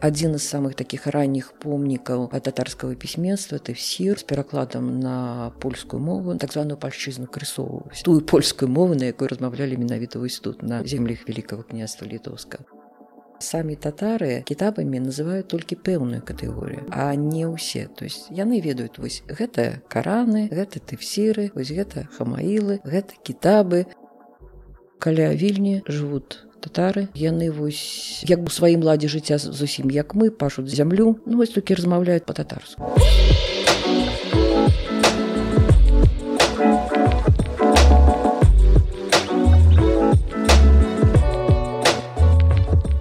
один из самых таких ранних помнікаў татарскага пісьменства тэфсір з перакладам на польскую мову, так званую польшчызну крысовую, тую польскую мову, на якой размаўлялі менавіта вось тут на землях Великого княства Літоўскага. Самі татары кітабамі называюць толькі пэўную катэгорыю, а не ўсе. То есть яны ведаюць, вось гэта Караны, гэта тэфсіры, вось гэта хамаілы, гэта кітабы. Каля Вільні жывуць татары, яны вось як бы у сваім ладзе жыцця зусім як мы, пашуць зямлю, ну вось толькі размаўляюць па-татарску.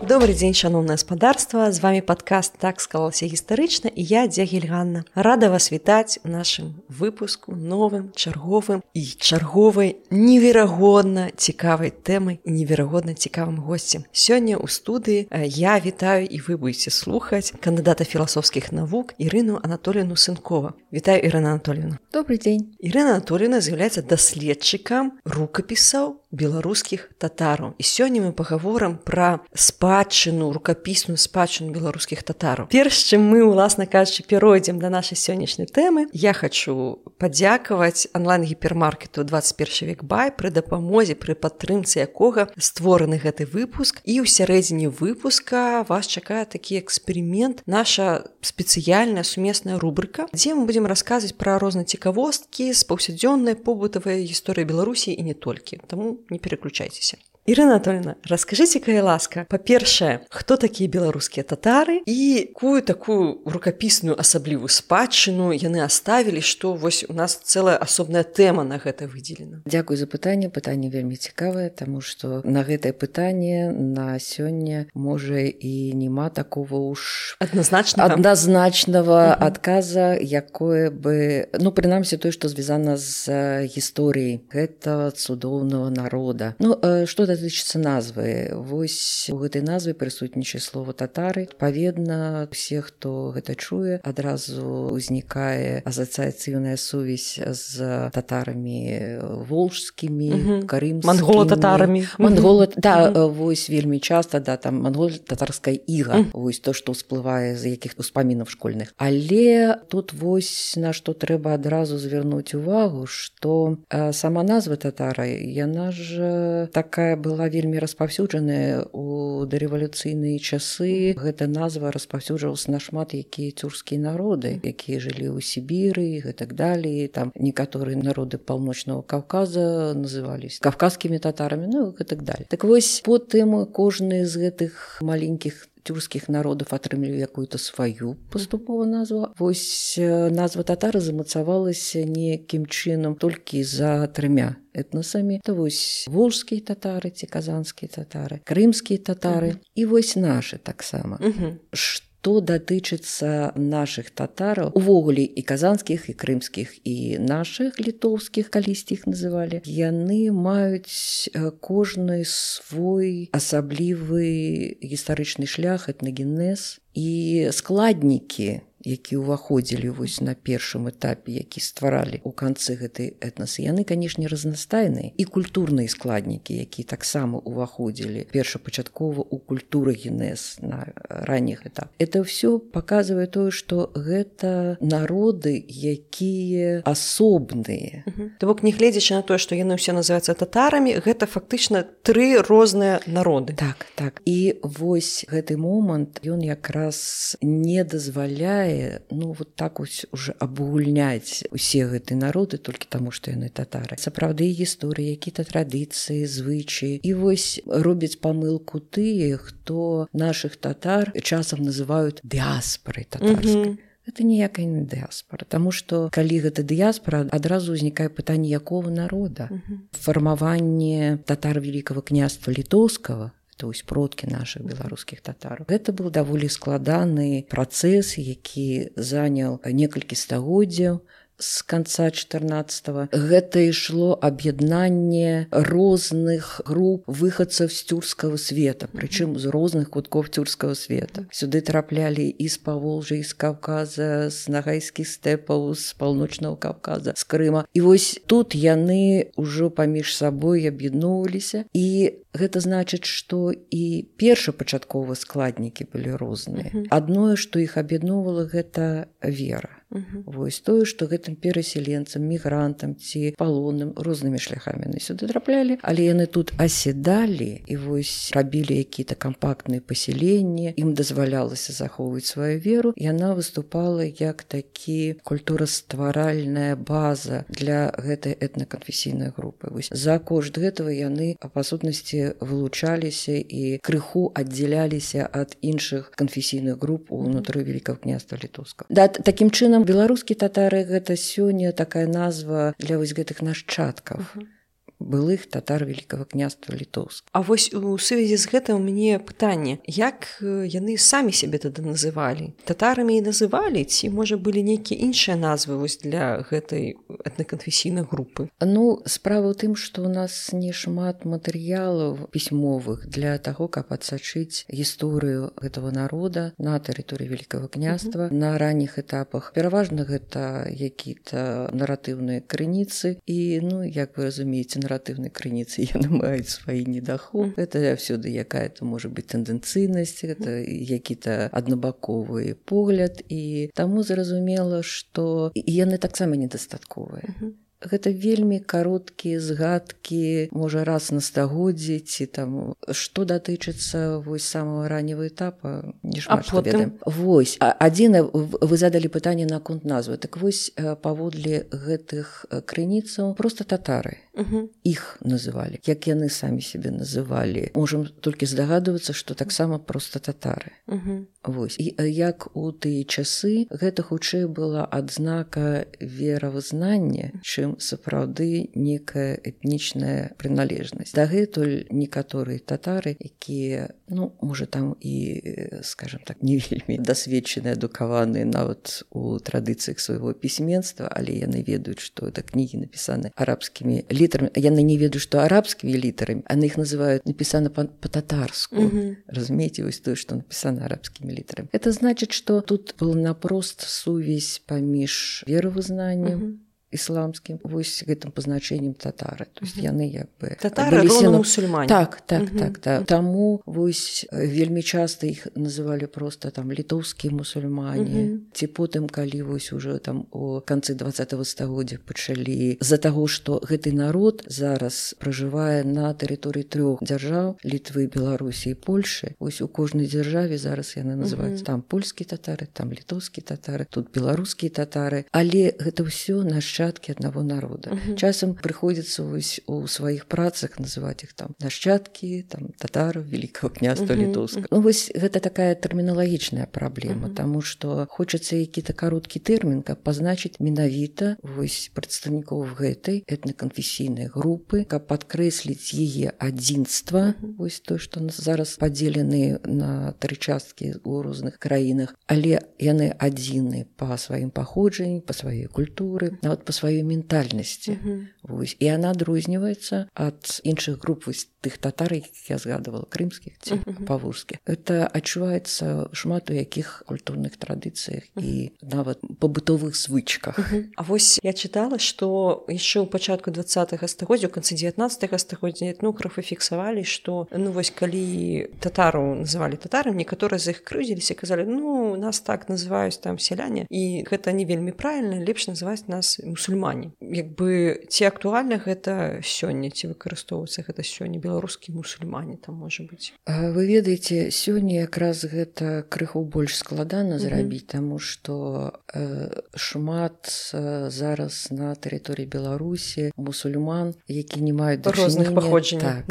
Добрый дзень, шановнае гаспадарства, з вами падкаст «Так склалася гістарычна» і я, Дзягіль Ганна. Рада вас вітаць у нашым выпуску новым, чарговым і чарговай неверагодна цікавай тэмай і неверагодна цікавым госцем. Сёння ў студыі я вітаю і вы будете слухаць кандыдата філасофскіх навук Ірыну Анатольевну Сынкова. Вітаю, Ірына Анатольевна. Добрый дзень. Ірына Анатольевна з'яўляецца даследчыкам рукапісаў беларускіх татараў. І сёння мы пагаворым пра спадчыну, рукапісную спадчыну беларускіх татараў. Перш чым мы, уласна кажучы, перайдзем да нашай сённяшняй тэмы, я хачу падзякаваць онлайн-гіпермаркету 21 век бай, пры дапамозе, пры падтрымцы якога створаны гэты выпуск. І ў сярэдзіне выпуска вас чакае такі эксперымент, наша спецыяльная сумесная рубрыка, дзе мы будзем расказваць пра розныя цікавосткі з паўсядзённай побытавай гісторыі Беларусі і не толькі. Таму не переключайтеся. Ірына Анатольевна, раскажыце, калі ласка, па-першае, хто такія беларускія татары і якую такую рукапісную асаблівую спадчыну яны аставілі, што вось у нас цэлая асобная тэма на гэта выдзелена. Дзякуй за пытанне, пытанне вельмі цікавае, таму што на гэтае пытанне на сёння можа і няма такого уж адназначнага адказа, якое бы, ну, прынамсі тое, што звязана з гісторыяй гэтага цудоўнага народа. Ну, што датычыцца назвы. Вось у гэтай назве прысутнічае слова татары. Адпаведна, усе, хто гэта чуе, адразу ўзнікае асацыяцыйная сувязь з татарамі волжскімі, карымскімі, мангола-татарамі. Да, вось вельмі часта, да, там мангол-татарская іга, вось то, што ўсплывае з якіх успамінаў школьных. Але тут вось на што трэба адразу звярнуць увагу, што сама назва татара, яна ж такая была вельмі распаўсюджаная у дарэвалюцыйныя часы. Гэта назва распаўсюджвалася на шмат якія цюркскія народы, якія жылі ў Сібіры і гэтак далей. Там некаторыя народы паўночнага Каўказа назывались кавказскімі татарамі, ну і гэтак далей. Так вось, потым кожны з гэтых маленькіх тюркскіх народаў атрымлівалі якую-то сваю паступовую назву. Вось назва татары замацавалася некім чынам толькі за 3 этнасамі. То вось волжскія татары ці казанскія татары, крымскія татары і вось нашы таксама. Што датычыцца нашых татараў, увогуле і казанскіх, і крымскіх, і нашых літоўскіх, калісьці іх называлі, яны маюць кожны свой асаблівы гістарычны шлях, этнагенез і складнікі, які ўваходзілі вось на першым этапе, які стваралі ў канцы гэтай этнасы, яны, канешне, разнастайныя. І культурныя складнікі, якія таксама ўваходзілі першапачаткова ў культурагенез на ранніх этапах. Это ўсё паказвае тое, што гэта народы, якія асобныя. То бок, нягледзячы на тое, што яны ўсе называюцца татарамі, гэта фактычна 3 розныя народы. Так, так. І вось гэты момант, ён якраз не дазваляе, ну, вот так ось уже абагульняць усе гэтыя народы толькі таму, што яны татары. Сапраўды гісторыі, якія-то традыцыі, звычаі. І вось робяць памылку тыя, хто нашых татар часам называюць дыаспорай татарскай. Гэта ніякая не дыаспора, таму што калі гэта дыаспора, адразу ўзнікае пытанне, якога народа. Фармаванне татар Великого княства Літоўскага, то есть продкі нашых беларускіх татараў. Гэта быў даволі складаны працэс, які заняў некалькі стагоддзяў з канца 14-го. Гэта ішло аб'яднанне розных груп выхадцаў з тюркскага света, прычым з розных куткоў тюркскага света. Сюды траплялі і з Паволжя, і з Каўказа, з нагайскіх стэпаў, з паўночнага Каўказа, з Крыма. І вось тут яны ўжо паміж сабой аб'ядноўваліся, і гэта значыць, што і першапачатковыя складнікі былі розныя. Адное, што іх аб'ядноўвала, гэта вера. Вось тое, што гэтым перасяленцам, мігрантам ці палонным рознымі шляхамі яны сюды траплялі, але яны тут аседалі і вось рабілі якія-то кампактныя паселенні, ім дазвалялася захоўваць сваю веру, яна выступала як такі культурастваральная база для гэтай этнаканфесійнай групы. Вось за кошт гэтага яны па сутнасці вылучаліся і крыху аддзяляліся ад іншых канфесійных груп унутры Вялікага княства Літоўскага. Да, такім чынам беларускія татары гэта сёння такая назва для вось гэтых нашчадкаў. Былых татар Вялікага княства Літоўскага. А вось у сувязі з гэтым у мяне пытанне, як яны самі сябе тады называлі? Татарамі і называлі, ці, можа, былі нейкія іншыя назвы вось для гэтай этнаканфесійнай групы? Ну, справа ў тым, што ў нас не шмат матэрыялаў пісьмовых для таго, каб адсачыць гісторыю гэтага народа на тэрыторыі Вялікага княства на ранніх этапах. Пераважна гэта якія-то наратыўныя крыніцы і, ну, як вы разумееце, наратыўнай крыніцы яны маюць свае недахоп. Гэта всюды якая-то можа быць тэндэнцыйнасць, гэта які-то аднабаковы погляд, і таму зразумела, што яны таксама недастатковыя. Гэта вельмі кароткія згадкі, можа, раз на стагоддзі, ці там, што датычыцца вось самага раннего этапа, не шмат што ведаем. Вось, адзінае, вы задалі пытанне наконт назвы. Так вось, паводле гэтых крыніцаў проста татары. Іх называлі. Як яны самі сябе называлі. Можам толькі здагадвацца, што таксама проста татары. Вось. І як у тыя часы гэта хутчэй была адзнака веравызнання, чым сапраўды некая этнічная прыналежнасць. Дагэтуль некаторыя татары, якія, ну, можа, там і, скажем так, не вельмі дасведчаныя, адукаваныя нават у традыцыях свайго пісьменства, але яны ведаюць, што это кнігі напісаны арабскімі літарамі. Яны не ведаюць, што арабскімі літарамі, яны іх называюць напісана па-татарску. Разумееце, вось тое, што напісана арабскімі літарамі. Это значыць, што тут была напрост сувязь паміж веравызнаннем ісламскім, вось гэтым пазначэннем татары. То есть яны як бы... Татары роўна мусульмане. Так. Таму вось вельмі часта іх называлі проста там літоўскія мусульмане. Ці потым, калі вось уже там у канцы 20-го стагоддзя пачалі з-за таго, што гэты народ зараз пражывае на тэрыторыі 3 дзяржаў, Літвы, Беларусі і Польшы. Вось у кожнай дзяржаве зараз яны называюць там польскія татары, там літоўскія татары, тут беларускія татары. Але гэта ўсё нашчадкі аднаго народа. Часам прыходзіцца вось у сваіх працах называць іх там нашчадкі, там татараў Вялікага княства Літоўскага. Ну вось гэта такая тэрміналагічная праблема, таму што хочацца які-то кароткі тэрмін, каб пазначыць менавіта вось прадстаўнікоў гэтай этнаканфесійнай групы, каб падкрэсліць яе адзінства, вось то, што зараз падзелены на 3 часткі ў розных краінах, але яны адзіны па сваім паходжанні, па сваёй культуры, нават па сваёй ментальнасці. Вось. І яна адрозніваецца ад іншых груп, вось тых татар, якіх я згадывала, крымскіх ці паволжскіх. Это адчуваецца шмат у якіх культурных традыцыях і нават пабытовых звычках. А вось я чытала, што яшчэ ў пачатку 20-го стагоддзя, у канцы 19-го стагоддзя этнографы фіксавалі, што, ну вось калі татараў называлі татарам, некаторыя з іх крыўдзіліся, казалі, ну нас так называюць там сяляне, і гэта не вельмі правільна, лепш называць нас мусульмане. Як бы ці актуальна гэта сёння, ці выкарыстоўваецца гэта сёння, беларускія мусульмане там можа быць? Вы ведаеце, сёння якраз гэта крыху больш складана зрабіць, таму што шмат зараз на тэрыторыі Беларусі мусульман, які не маюць розных паходжанняў.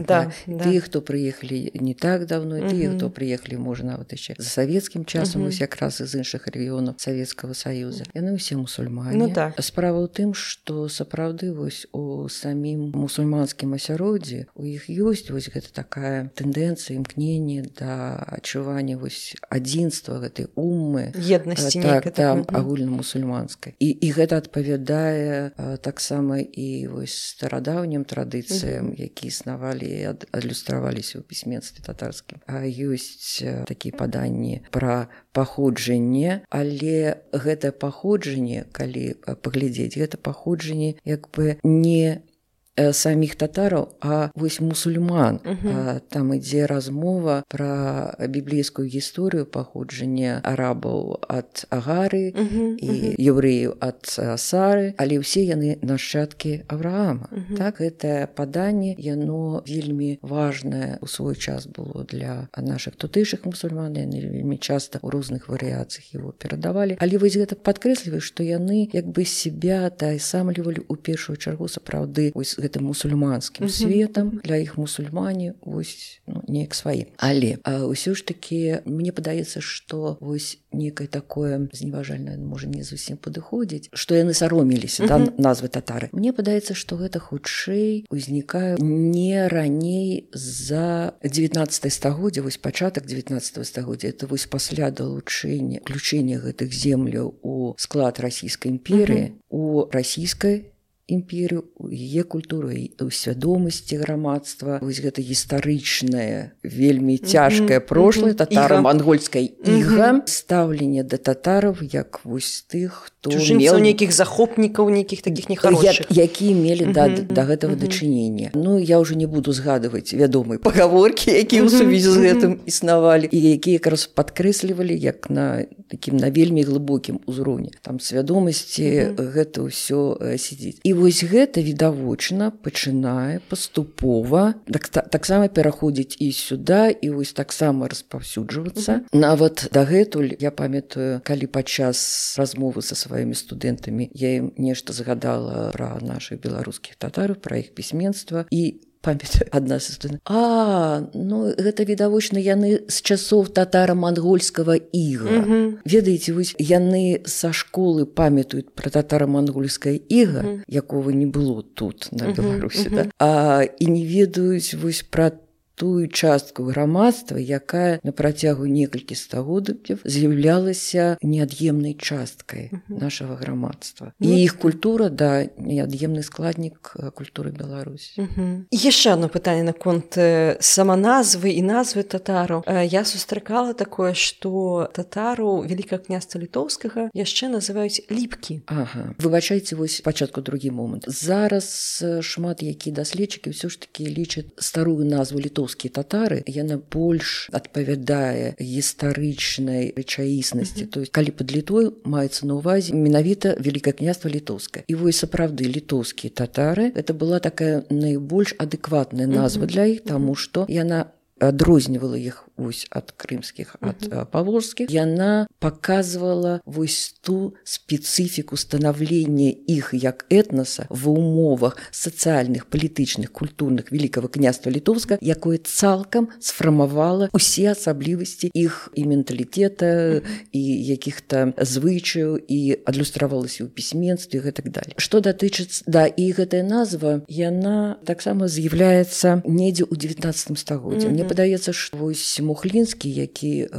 Тыя, хто прыехалі не так давно, тыя, хто прыехалі, можа, нават яшчэ за савецкім часам, вось якраз з іншых рэгіёнаў Савецкага Саюза. Яны ўсе мусульмане. Ну так. Справа ў тым, што сапраўды вось у самім мусульманскім асяроддзі у іх ёсць вось гэта такая тэндэнцыя, імкненне да адчування вось адзінства гэтай уммы, еднасці нейкай агульнамусульманскай. І гэта адпавядае таксама і вось старадаўнім традыцыям, якія існавалі і адлюстраваліся ў пісьменстве татарскім. Ёсць такія паданні пра паходжанне, але гэта паходжанне, калі паглядзець, гэта паходжанне як бы не саміх татараў, а вось мусульман. Там ідзе размова пра біблейскую гісторыю паходжання арабаў ад Агары і еўрэяў ад Сары, але ўсе яны нашчадкі Авраама. Так, гэтае паданне, яно вельмі важнае ў свой час было для нашых тутэйшых мусульман, яны вельмі часта ў розных варыяцыях его перадавалі. Але вось гэта падкрэслівае, што яны як бы себя тайсамлівалі ў першую чаргу сапраўды вось гэтым мусульманскім светам, для іх мусульмане вось неяк сваі. Але ўсё ж такі мне падаецца, што вось некае такое зневажальнае можа не зусім падыходзіць, што яны саромеліся назвы татары. Мне падаецца, што гэта хутчэй узнікае не раней за 19 стагоддзя, вось пачатак 19 стагоддзя, это вось пасля далучэння, включэння гэтых земляў у склад расійскай імперыі, у расійскай імперію, у яе культуру, у свядомасці грамадства. Вось гэта гістарычнае, вельмі цяжкае прошлае татара-мангольскай іга, стаўленне да татараў як вось тых, хто меў нейкіх захопнікаў, нейкіх такіх нехарошых, якія мелі да гэтага дачынення. Ну, я ўжо не буду згадваць вядомыя пагаворкі, якія ў сувязі з гэтым існавалі і якія якраз падкрэслівалі як на такім на вельмі глыбокім узроўні. Там свядомасці гэта ўсё сядзіць. І вось гэта відавочна пачынае паступова таксама пераходзіць і сюда, і вось таксама распаўсюджвацца. Нават дагэтуль я памятаю, калі падчас размовы са сваімі студэнтамі я ім нешта згадала пра нашых беларускіх татараў, пра іх пісьменства, і памятаю, адна са студэнтаў: ну гэта відавочна яны з часоў татара-мангольскага іга. Ведаеце, вось яны са школы памятаюць пра татара-мангольскае іга, якога не было тут на Беларусі, і не ведаюць вось пра тую частку грамадства, якая на працягу некалькі стагоддзяў з'яўлялася неад'емнай часткай нашага грамадства. І іх культура, неад'емны складнік культуры Беларусі. Яшчэ одно пытанне наконт саманазвы і назвы татараў. Я сустракала такое, што татару Вялікага княства Літоўскага яшчэ называюць ліпкі. Выбачайце, вось спачатку другі момант. Зараз шмат якія даследчыкі ўсё ж такі лічаць старую назву літоўскія татары, яна больш адпавядае гістарычнай рэчаіснасці. То есть, калі пад Літвой маецца на ўвазе менавіта Вялікае княства Літоўскае. І вось сапраўды літоўскія татары, это была такая найбольш адэкватная назва для іх, таму што яна адрознівала іх вось ад крымскіх, ад паволжскіх. Яна паказвала вось ту спецыфіку станаўлення іх як этнаса ва ўмовах сацыяльных, палітычных, культурных Вялікага княства Літоўскага, якое цалкам сфармавала ўсе асаблівасці іх і менталітэта, і якіх-то звычаяў, і адлюстравалася ў пісьменстве і гэтак далее. Што датычыцца, і гэтая назва, яна таксама з'яўляецца недзе ў 19 стагоддзі. Мне падаецца, што вось Мухлінскі, які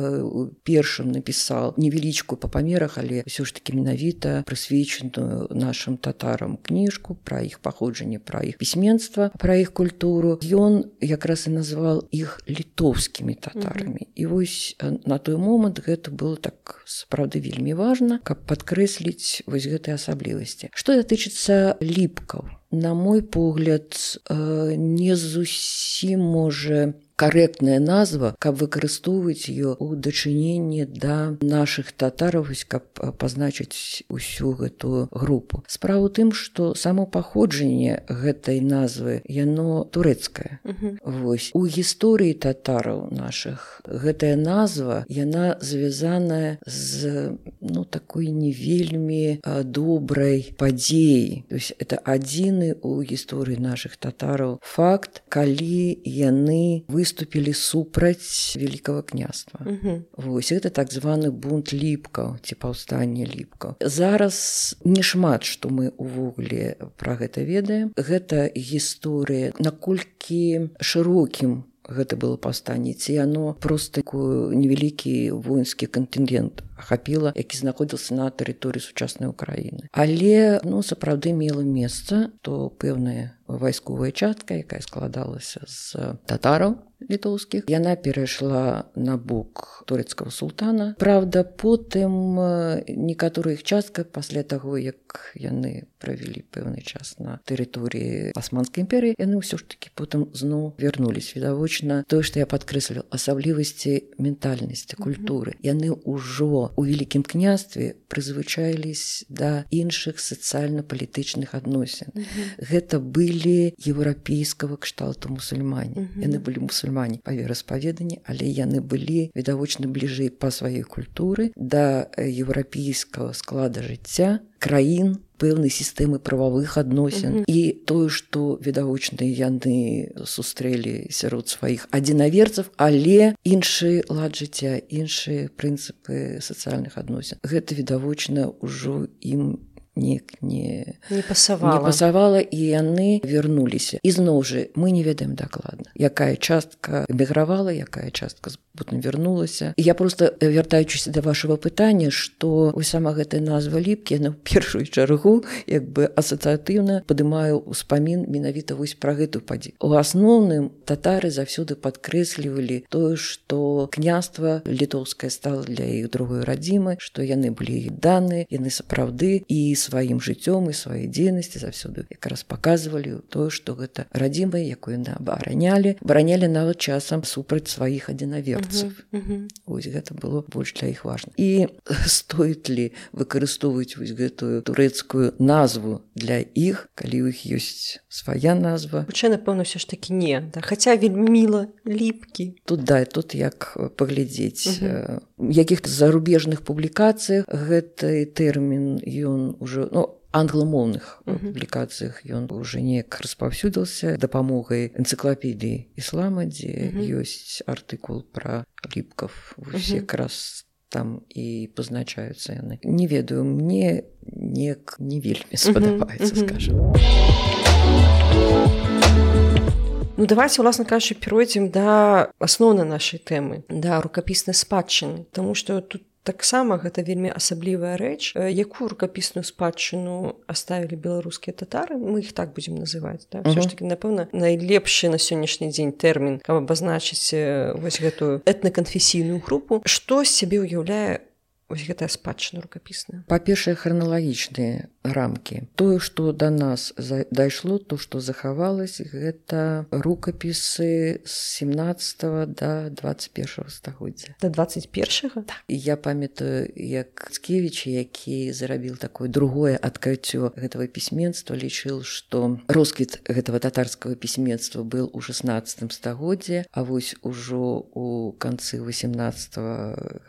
першым напісаў невялічкую па памерах, але ўсё ж такі менавіта прысвечаную нашым татарам кніжку пра іх паходжанне, пра іх пісьменства, пра іх культуру, ён якраз і назваў іх літоўскімі татарамі. І вось на той момант гэта было так сапраўды вельмі важна, каб падкрэсліць вось гэтыя асаблівасці. Што датычыцца ліпкаў, на мой погляд, не зусім можа карэктная назва, каб выкарыстоўваць ее ў дачыненні да нашых татараў, каб пазначыць усю гэтую групу. Справа ў тым, што само паходжанне гэтай назвы, яно турэцкае. Вось. У гісторыі татараў нашых гэтая назва, яна звязаная з такой не вельмі добрай падзеяй. То есть это адзіны у гісторыі нашых татараў факт, калі яны выступілі супраць Вялікага княства. Вось гэта так званы бунт ліпкаў ці паўстанне ліпкаў. Зараз не шмат што мы увогуле пра гэта ведаем. Гэта гісторыя, наколькі шырокім гэта было паўстанне, ці яно проста такой невялікі воінскі кантынгент ахапіла, які знаходзіўся на тэрыторыі сучаснай Украіны. Але сапраўды мела месца, то пэўная вайсковая частка, якая складалася з татараў літоўскіх, яна перайшла на бок турэцкага султана. Праўда, потым некаторых частках пасля таго, як яны правялі пэўны час на тэрыторыі Асманскай імперыі, яны ўсё ж такі потым зноў вярнулись. Відавочна, тое, што я падкрэсліў, асаблівасці ментальнасці, культуры. Яны ўжо у Вялікім княстве прызвычаілись да іншых сацыяльна-палітычных адносін. Гэта былі еўрапейскага кшталту мусульмане. Яны былі мусульмане па вераспаведанні, але яны былі відавочна бліжэй па сваёй культуры да еўрапейскага склада жыцця, краін, пэўнай сістэмы прававых адносін. І тое, што відавочна яны сустрэлі сярод сваіх адзінаверцаў, але іншы лад жыцця, іншыя прынцыпы сацыяльных адносін. Гэта відавочна ўжо ім не пасавала, і яны вярнуліся. І зноў жа, мы не ведаем дакладна, якая частка эмігравала, якая частка потым вярнулася. І я проста, вяртаючыся да вашага пытання, што сама гэтая назва Ліпкі, яна ў першую чаргу асацыятыўна падымае ўспамін менавіта пра гэтую падзею. У асноўным татары заўсёды падкрэслівалі тое, што княства літоўскае стала для іх другой радзімай, што яны былі даныя, яны сапраўды і сваім жыццём і сваёй дзейнасці заўсёды якраз паказвалі тое, што гэта радзіма, якую яны абаранялі нават часам супраць сваіх адзінаверцаў. Вось гэта было больш для іх важна. І стоіць ли выкарыстоўваць гэтую турэцкую назву для іх, калі ў іх ёсць свая назва? Хутчэй, напэўна, ўсё ж такі не. Хаця вельмі міла, Ліпкі. Тут як паглядзець. У якіх-то зарубежных публікацыях гэты тэрмін ён ужо англамоўных публікацыях ён уже неяк распаўсюдзіўся дапамогай энцыклапедыі іслама, дзе ёсць артыкул пра ліпкаў. Якраз там і пазначаюцца яны. Не ведаю, мне неяк не вельмі спадабаецца, скажам. Давайте, уласна кажучы, перайдзем да асноўнай нашай тэмы, да рукапіснай спадчыны, таму што тут таксама гэта вельмі асаблівая рэч. Якую рукапісную спадчыну аставілі беларускія татары, мы іх так будзем называць. Ўсё ж такі, напэўна, найлепшы на сённяшні дзень тэрмін, каб абазначыць вось гэтую этнаканфесійную групу. Што з сябе ўяўляе вось гэтая спадчына рукапісная? Па-першае, храналагічныя рамкі. Тое, што да нас дайшло, то, што захавалось, гэта рукапісы з 17 да 21 стагоддзя. Да 21-го? Так. Я памятаю, як Цкевіч, які зарабіў такое другое адкрыццё гэтага пісьменства, лічыў, што росквіт гэтага татарскага пісьменства быў у 16 стагоддзе, а вось ужо у канцы 18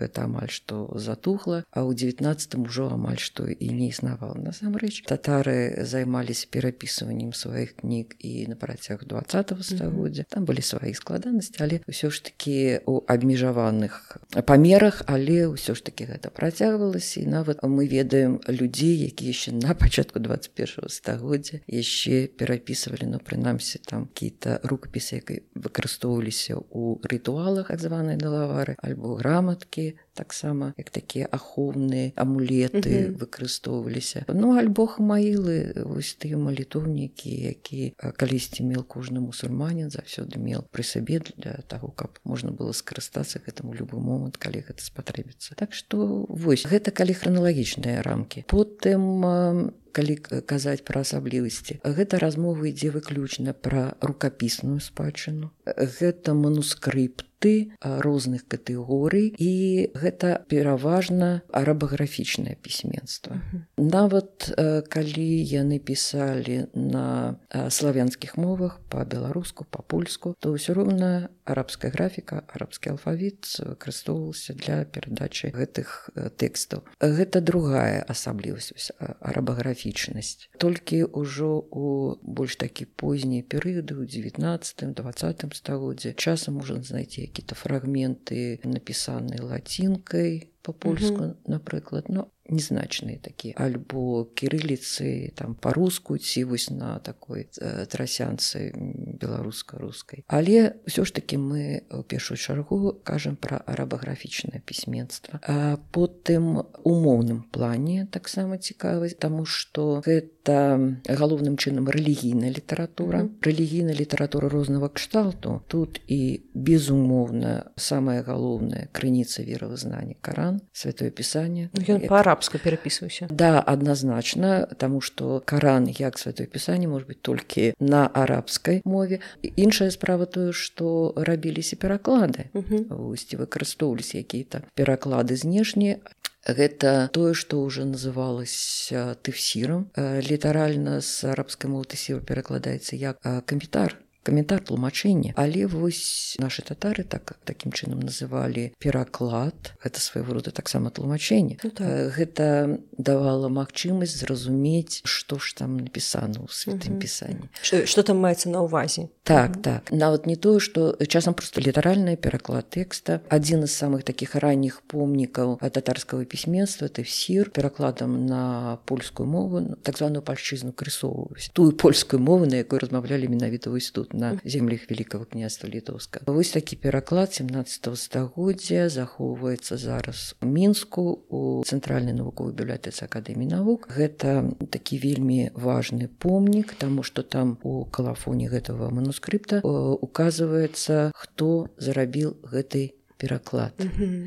гэта амаль што затухла, а ў 19 ужо амаль што і не існавала. Насамрэч, татары займаліся перапісываннем сваіх кніг і на працягу 20 стагоддзя. Там былі свае складанасці, але ўсё ж такі у абмежаваных памерах, але ўсё ж такі гэта працягвалася. І нават мы ведаем людзей, якія яшчэ на пачатку 21 стагоддзя яшчэ перапісвалі, прынамсі, там какие-то рукапісы, якія выкарыстоўваліся ў рытуалах, так званыя далавары, альбо граматкі, таксама як такія ахоўныя амулеты выкарыстоўваліся. Альбо хамаілы, вось тыя малітоўнікі, які калісьці меў кожны мусульманін, заўсёды меў пры сабе для таго, каб можна было скарыстацца гэтым у любы момант, калі гэта спатрэбіцца. Так што вось гэта калі храналагічныя рамкі. Потым, калі казаць пра асаблівасці, гэта размова ідзе выключна пра рукапісную спадчыну. Гэта манускрыпты розных катэгорый, і гэта пераважна арабаграфічнае пісьменства. Нават калі яны пісалі на славянскіх мовах, па-беларуску, па-польску, то ўсё роўна арабская графіка, арабскі алфавіт выкарыстоўваўся для перадачы гэтых тэкстаў. Гэта другая асаблівасць, арабаграфічнасць. Толькі ўжо у больш такі познія перыяды, у 19-20 стагоддзе, часам можна знайти какие-то фрагменты, напісаныя лацінкай, па-польску, напрыклад. незначныя такія, альбо кірыліцы там па-руску ці вось на такой трасянцы беларуска-рускай. Але ўсё ж такі мы ў першую чаргу кажам пра арабаграфічнае пісьменства. А потым у моўным плане таксама цікава, таму што гэта галоўным чынам рэлігійная літаратура. Рэлігійная літаратура рознага кшталту. Тут і безумоўна самая галоўная крыніца веравызнання Каран, Святое Пісанне. Ён па-арабску перапісваўся. Да, адназначна, таму што Каран як Святое Пісанне можа быць толькі на арабскай мове. Іншая справа тое, што рабіліся пераклады. Вось выкарыстоўваліся якія-то пераклады знешнія. Гэта тое, што ўжо называлася тэфсірам. Літаральна з арабскай мовы тэфсір перакладаецца як каментар тлумачэння. Але вось нашы татары такім чынам называлі пераклад. Гэта свайго рода таксама тлумачэнне. Гэта давала магчымасць зразумець, што ж там напісана ў Святым Пісанні. Што там маецца на ўвазе? Так. Нават не тое, што часам проста літаральны пераклад тэкста. Адзін з самых такіх ранніх помнікаў татарскага пісьменства тэфсір перакладам на польскую мову, так званую пальшчызну крысоўваюць. Тую польскую мову, на якой размаўлялі менавіта вось тут, на землях Великого княства Літоўскага. Вось такі пераклад 17 стагоддзя захоўваецца зараз у Мінску у Цэнтральнай навуковай бібліятэцы Акадэміі навук. Гэта такі вельмі важны помнік, таму што там у калафоне гэтага манускрипта указваецца, хто зарабіў гэты пераклад.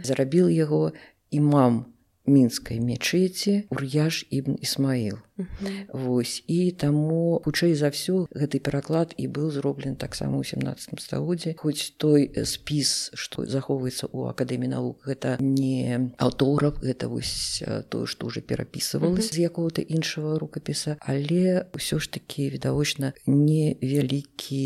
Зарабіў яго імам мінскай мечеці Ур'яш ібн Ісмаіл. Вось, і таму хутчэй за ўсё гэты пераклад і быў зроблены таксама ў 17 стагоддзі. Хоць той спіс, што захоўваецца ў Акадэміі навук, гэта не аўтограф, гэта вось тое, што ўжо перапісывалася з якога-то іншага рукапіса, але ўсё ж такі відавочна невялікі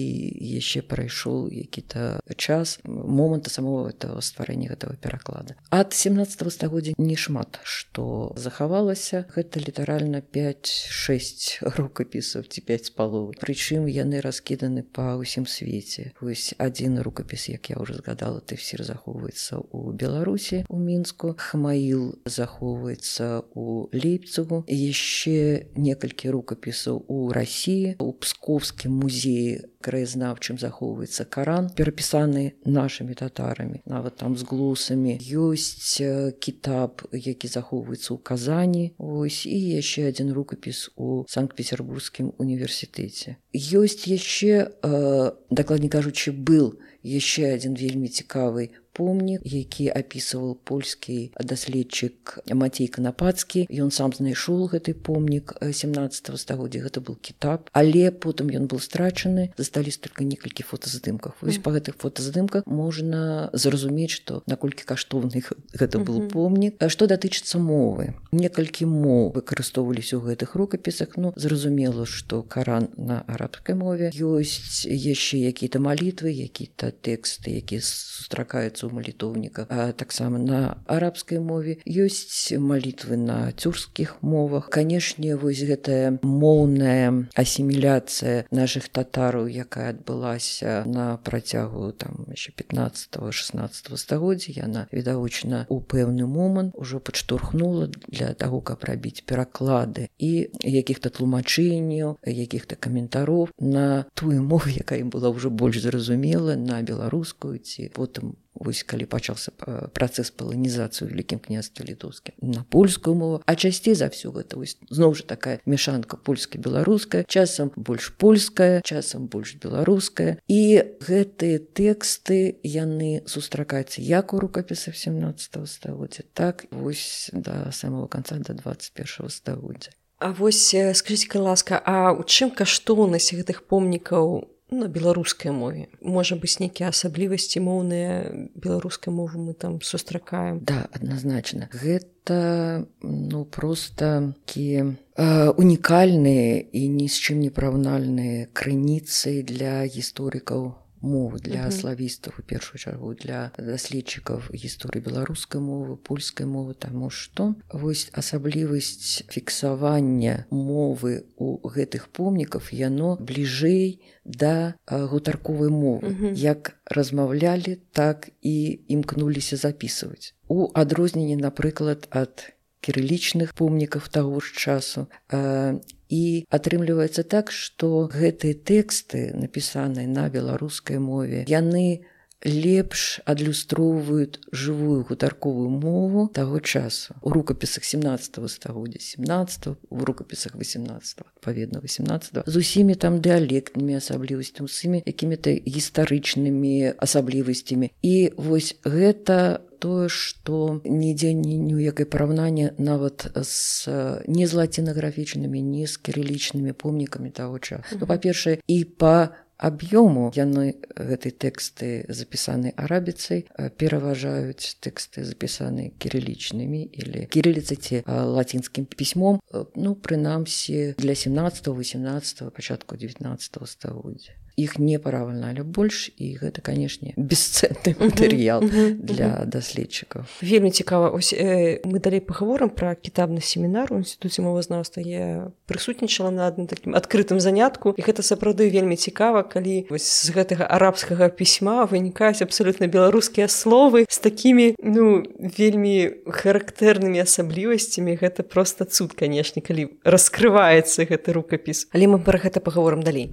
яшчэ прайшоў які-то час моманта самого этого стварэння гэтага пераклада. Ад 17 стагоддзя не шмат што захавалася, гэта літаральна 5-6 рукапісаў ці 5,5. Прычым яны раскіданы па ўсім свеце. Вось адзін рукапіс, як я ўжо згадала, тэфсір захоўваецца ў Беларусі, у Мінску, Хмаіл захоўваецца ў Лейпцигу, яшчэ некалькі рукапісаў у Расіі, у Псковскім музеі краязнаўчым захоўваецца Каран, перапісаны нашымі татарамі, нават там з глусамі. Ёсць кітаб, які захоўваецца ў Казані, ось, і яшчэ адзін рукапіс у Санкт-Петербургскім універсітэце. Ёсць яшчэ, дакладней кажучы, был яшчэ адзін вельмі цікавы помнік, які апісваў польскі даследчык Мацей Канапацкі. Ён сам знайшоў гэты помнік 17 стагоддзя, гэта быў кітаб, але потым ён быў страчаны, засталіся толькі некалькі фотаздымкаў. Вось па гэтых фотаздымках можна зразумець, што наколькі каштоўны гэта быў помнік. Што датычыцца мовы, некалькі моў выкарыстоўваліся ў гэтых рукапісах. Ну, зразумела, што Каран на арабскай мове. Ёсць яшчэ якія-то малітвы, якія-то тэксты, якія сустракаюцца у малітоўніках, а таксама на арабскай мове. Ёсць малітвы на тюркскіх мовах. Канешне, вось гэтая моўная асіміляцыя нашых татараў, якая адбылася на працягу там яшчэ 15-16 стагоддзя, яна відавочна у пэўны момант ужо падштурхнула для таго, каб рабіць пераклады і якіх-то тлумачэнняў, якіх-то каментароў на тую мову, якая была ўжо больш зразумела, на беларускую ці потым вось калі пачаўся працэс паланізацыі ў Вялікім княстве Літоўскім на польскую мову, а часцей за ўсё гэта вось зноў жа такая мяшанка польска-беларуская, часам больш польская, часам больш беларуская. І гэтыя тэксты яны сустракаюцца як у рукапісах 17 стагоддзя, так вось да самого канца, да 21 стагоддзя. А вось скажыце, ласка, а ў чым каштоўнасць гэтых помнікаў на беларускай мове? Можа быць, нейкія асаблівасці моўныя беларускай мовы мы там сустракаем? Да, адназначна. Гэта, проста такія унікальныя і ні з чым не параўнальныя крыніцы для гісторыкаў мовы, для славістаў, у першую чаргу, для даследчыкаў гісторыі беларускай мовы, польскай мовы, таму што вось асаблівасць фіксавання мовы ў гэтых помніках, яно бліжэй да гутарковай мовы. Як размаўлялі, так і імкнуліся запісваць. У адрозненні, напрыклад, ад кірылічных помнікаў таго ж часу. І атрымліваецца так, што гэтыя тэксты, напісаныя на беларускай мове, яны лепш адлюстроўваюць жывую гутарковую мову таго часу. У рукапісах 17 стагоддзя, 17, у рукапісах 18, адпаведна 18, з усімі там дыялектнымі асаблівасцямі, з усімі якімі-то гістарычнымі асаблівасцямі. І вось гэта тое, што нідзе ніякае параўнання нават не з лацінаграфічнымі, не з кірылічнымі помнікамі таго часу. Па-першае, і па аб'ёму яны гэтыя тэксты, запісаныя арабіцай, пераважаюць тэксты, запісаныя кірылічнымі или кірыліцай ці лацінскім пісьмом, прынамсі для 17-18, пачатку 19 стагоддзя. Іх не параўналі больш, і гэта, канешне, бесцэнны матэрыял для даследчыкаў. Вельмі цікава. Ось мы далей пагаворым пра кітабны семінар у інстытуце мовазнаўства. Я прысутнічала на адным такім адкрытым занятку, і гэта сапраўды вельмі цікава, калі з гэтага арабскага пісьма вынікаюць абсалютна беларускія словы з такімі, вельмі характэрнымі асаблівасцямі. Гэта проста цуд, канешне, калі раскрываецца гэты рукапіс. Але мы пра гэта пагаворым далей.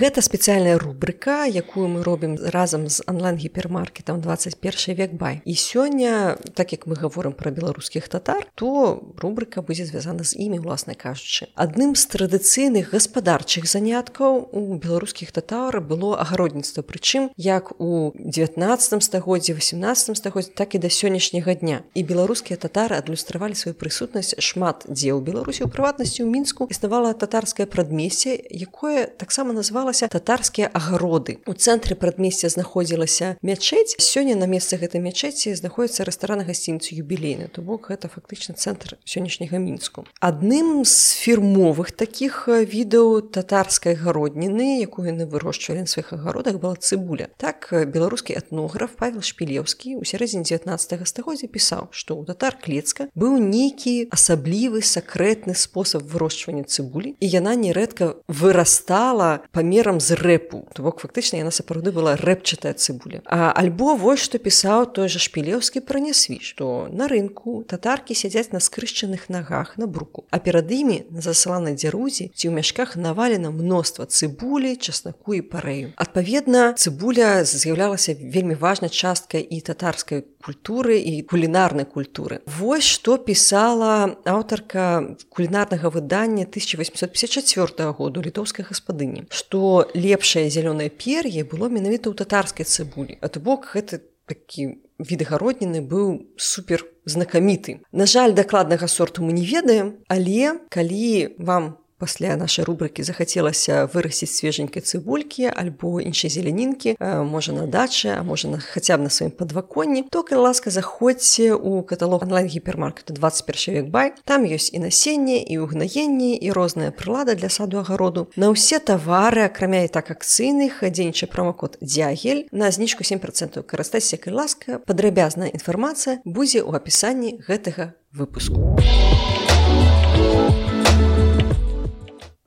Гэта спецыяльная рубрыка, якую мы робім разам з онлайн-гіпермаркетам 21 век бай. І сёння, так як мы гаворым пра беларускіх татар, то рубрыка будзе звязана з імі, уласна кажучы. Адным з традыцыйных гаспадарчых заняткаў у беларускіх татар было агародніцтва, прычым як у 19 стагоддзі, 18 стагоддзі, так і да сённяшняга дня. І беларускія татары адлюстравалі сваю прысутнасць шмат дзе ў Беларусі, у прыватнасці ў Мінску існавала татарскае прадмесце, якое таксама называлася татарскія агароды. У цэнтры прадмесця знаходзілася мячэць. Сёння на месцы гэтай мячэці знаходзіцца рэстаран гасцініцы юбілейны. То бок гэта фактычна цэнтр сённяшняга Мінску. Адным з фірмовых такіх відаў татарскай гародніны, якую яны вырошчвалі на сваіх агародах, была цыбуля. Так, беларускі этнограф Павел Шпілеўскі ў сярэдзіне 19 стагоддзя пісаў, што ў татар Клецка быў нейкі асаблівы сакрэтны спосаб вырошчвання цыбулі, і яна нерэдка вырастала памерам з рэпу. То бок фактычна яна сапраўды была рэпчатая цыбуля. Альбо вось што пісаў той жа Шпілеўскі пра нясві, што на рынку татаркі сядзяць на скрышчаных нагах на бруку, а перад імі на засаланай дзярузі ці ў мяшках навалена мноства цыбулі, часнаку і парэю. Адпаведна, цыбуля з'яўлялася вельмі важнай часткай і татарскай культуры і кулінарнай культуры. Вось што пісала аўтарка кулінарнага выдання 1854 году літоўскай гаспадыні, што лепшае зялёнае пер'е было менавіта ў татарскай цыбулі. А то бок гэта такі від агародніны быў супер знакаміты. На жаль, дакладнага сорту мы не ведаем, але калі вам пасля нашай рубрыкі захацелася вырасціць свеженькай цыбулькі альбо іншай зелянінкі, можа на дачы, а можа хаця б на сваім падваконні, то, калі ласка, заходзьце ў каталог онлайн-гіпермаркета 21 век бай. Там ёсць і насенне, і ўгнаенне, і розная прылада для саду-агароду. На ўсе тавары, акрамя і так акцыйных, дзейнічае промакод «Дзягель» на знічку 7%. Карыстайцеся, калі ласка, падрабязная інфармацыя будзе ў апісанні гэтага выпуску.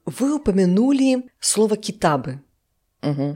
Вы упомянули слово «китабы».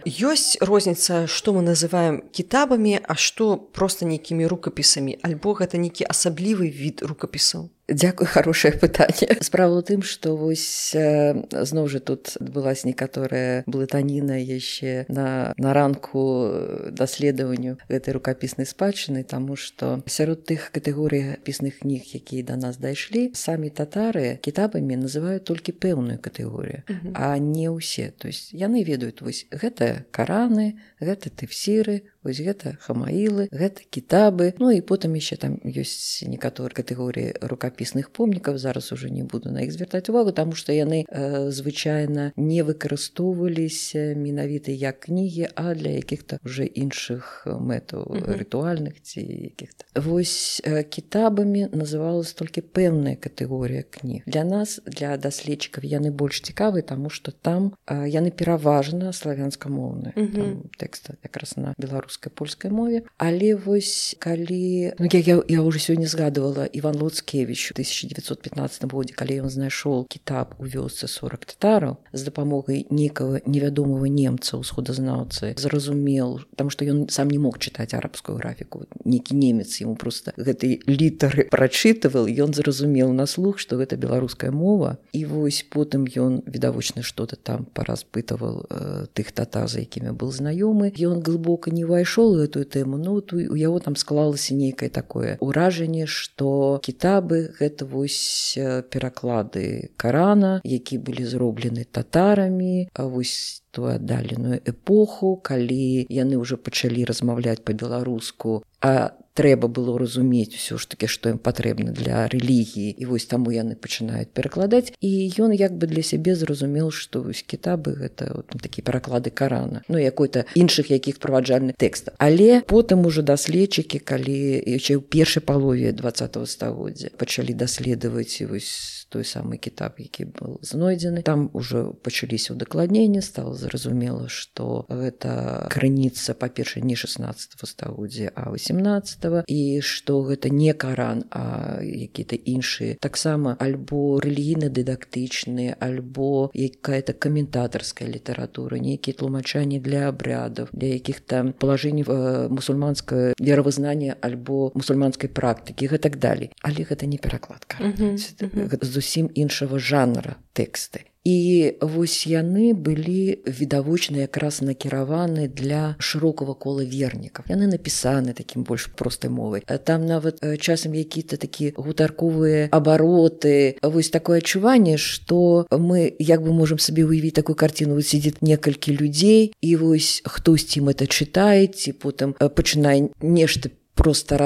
Ёсць розніца, што мы называем кітабамі, а што проста нейкімі рукапісамі, альбо гэта нейкі асаблівы від рукапісаў? Дзякуй, хорошае пытанне. Справа ў тым, што вось зноў жа тут адбылася некаторая блытаніна яшчэ на ранку даследаванню гэтай рукапіснай спадчыны, таму што сярод тых катэгорый пісных кніг, якія да нас дайшлі, самі татары кітабамі называюць толькі пэўную катэгорію, а не ўсе. То есть яны ведаюць, вось гэта Караны, гэта тэфсіры, вось гэта хамаілы, гэта кітабы. Ну і потым яшчэ там ёсць некаторыя катэгорыі рукапісных помнікаў, зараз уже не буду на іх звяртаць увагу, таму што яны звычайна не выкарыстоўваліся менавіта як кнігі, а для якіх-то уже іншых мэтаў, рытуальных ці якіх-то. Вось кітабамі называлась толькі пэўная катэгорыя кніг. Для нас, для даследчыкаў, яны больш цікавы, таму што там яны пераважна славянскамоўныя. Там тэксты якраз на беларускай беларускай польскай мове. Але вось калі я ўжо сёння згадывала Іван Луцкевіч у 1915 годзе, калі ён знайшоў кітаб у вёсцы 40 татараў, з дапамогай нейкага невядомага немца ўсходазнаўцы зразумеў, таму што ён сам не мог чытаць арабскую графіку, нейкі немец яму проста гэтай літары прачытывал, ён зразумеў на слух, што гэта беларуская мова, і вось потым ён відавочна што-то там паразпытаваў тых татар, за якімі быў знаёмы. Ён глыбока не ўвайшоў у гэтую тэму, ну у яго там склалася нейкае такое ўражанне, што кітабы гэта вось пераклады Карана, які былі зроблены татарамі, а вось ту аддаленую эпоху, калі яны ўжо пачалі размаўляць па-беларуску, а трэба было разумець усё ж такі, што ім патрэбна для рэлігіі, і вось таму яны пачынаюць перакладаць, і ён як бы для сябе зразумеў, што вось кітабы гэта такія пераклады Карана, ну якой-то іншых якіх праваджальных тэкстаў. Але потым ужо даследчыкі, калі яшчэ ў першай палове 20-го стагоддзя пачалі даследаваць вось той самы кітаб, які быў знойдзены, там ужо пачаліся ўдакладненні, стала зразумела, што гэта крыніца, па-першае, не 16-го стагоддзя, а 18-го, і што гэта не Каран, а якія-то іншыя, таксама альбо рэлігійна-дыдактычныя, альбо якая-то каментатарская літаратура, нейкія тлумачанні для абрядаў, для якіх-то палажэнняў мусульманскага веравызнання альбо мусульманскай практыкі, гэтак далей. Але гэта не пераклад Карана. Гэта зусім іншага жанра тэксты. І вось яны былі відавочна якраз накіраваны для шырокага кола вернікаў. Яны напісаны такім больш простай мовай. Там нават часам якія-то такія гутарковыя абароты. Вось такое адчуванне, што мы як бы можам сабе уявіць такую карціну, вось сидзіць некалькі людзей, і вось хтосьці ім это чытае, ці потым пачынае нешта проста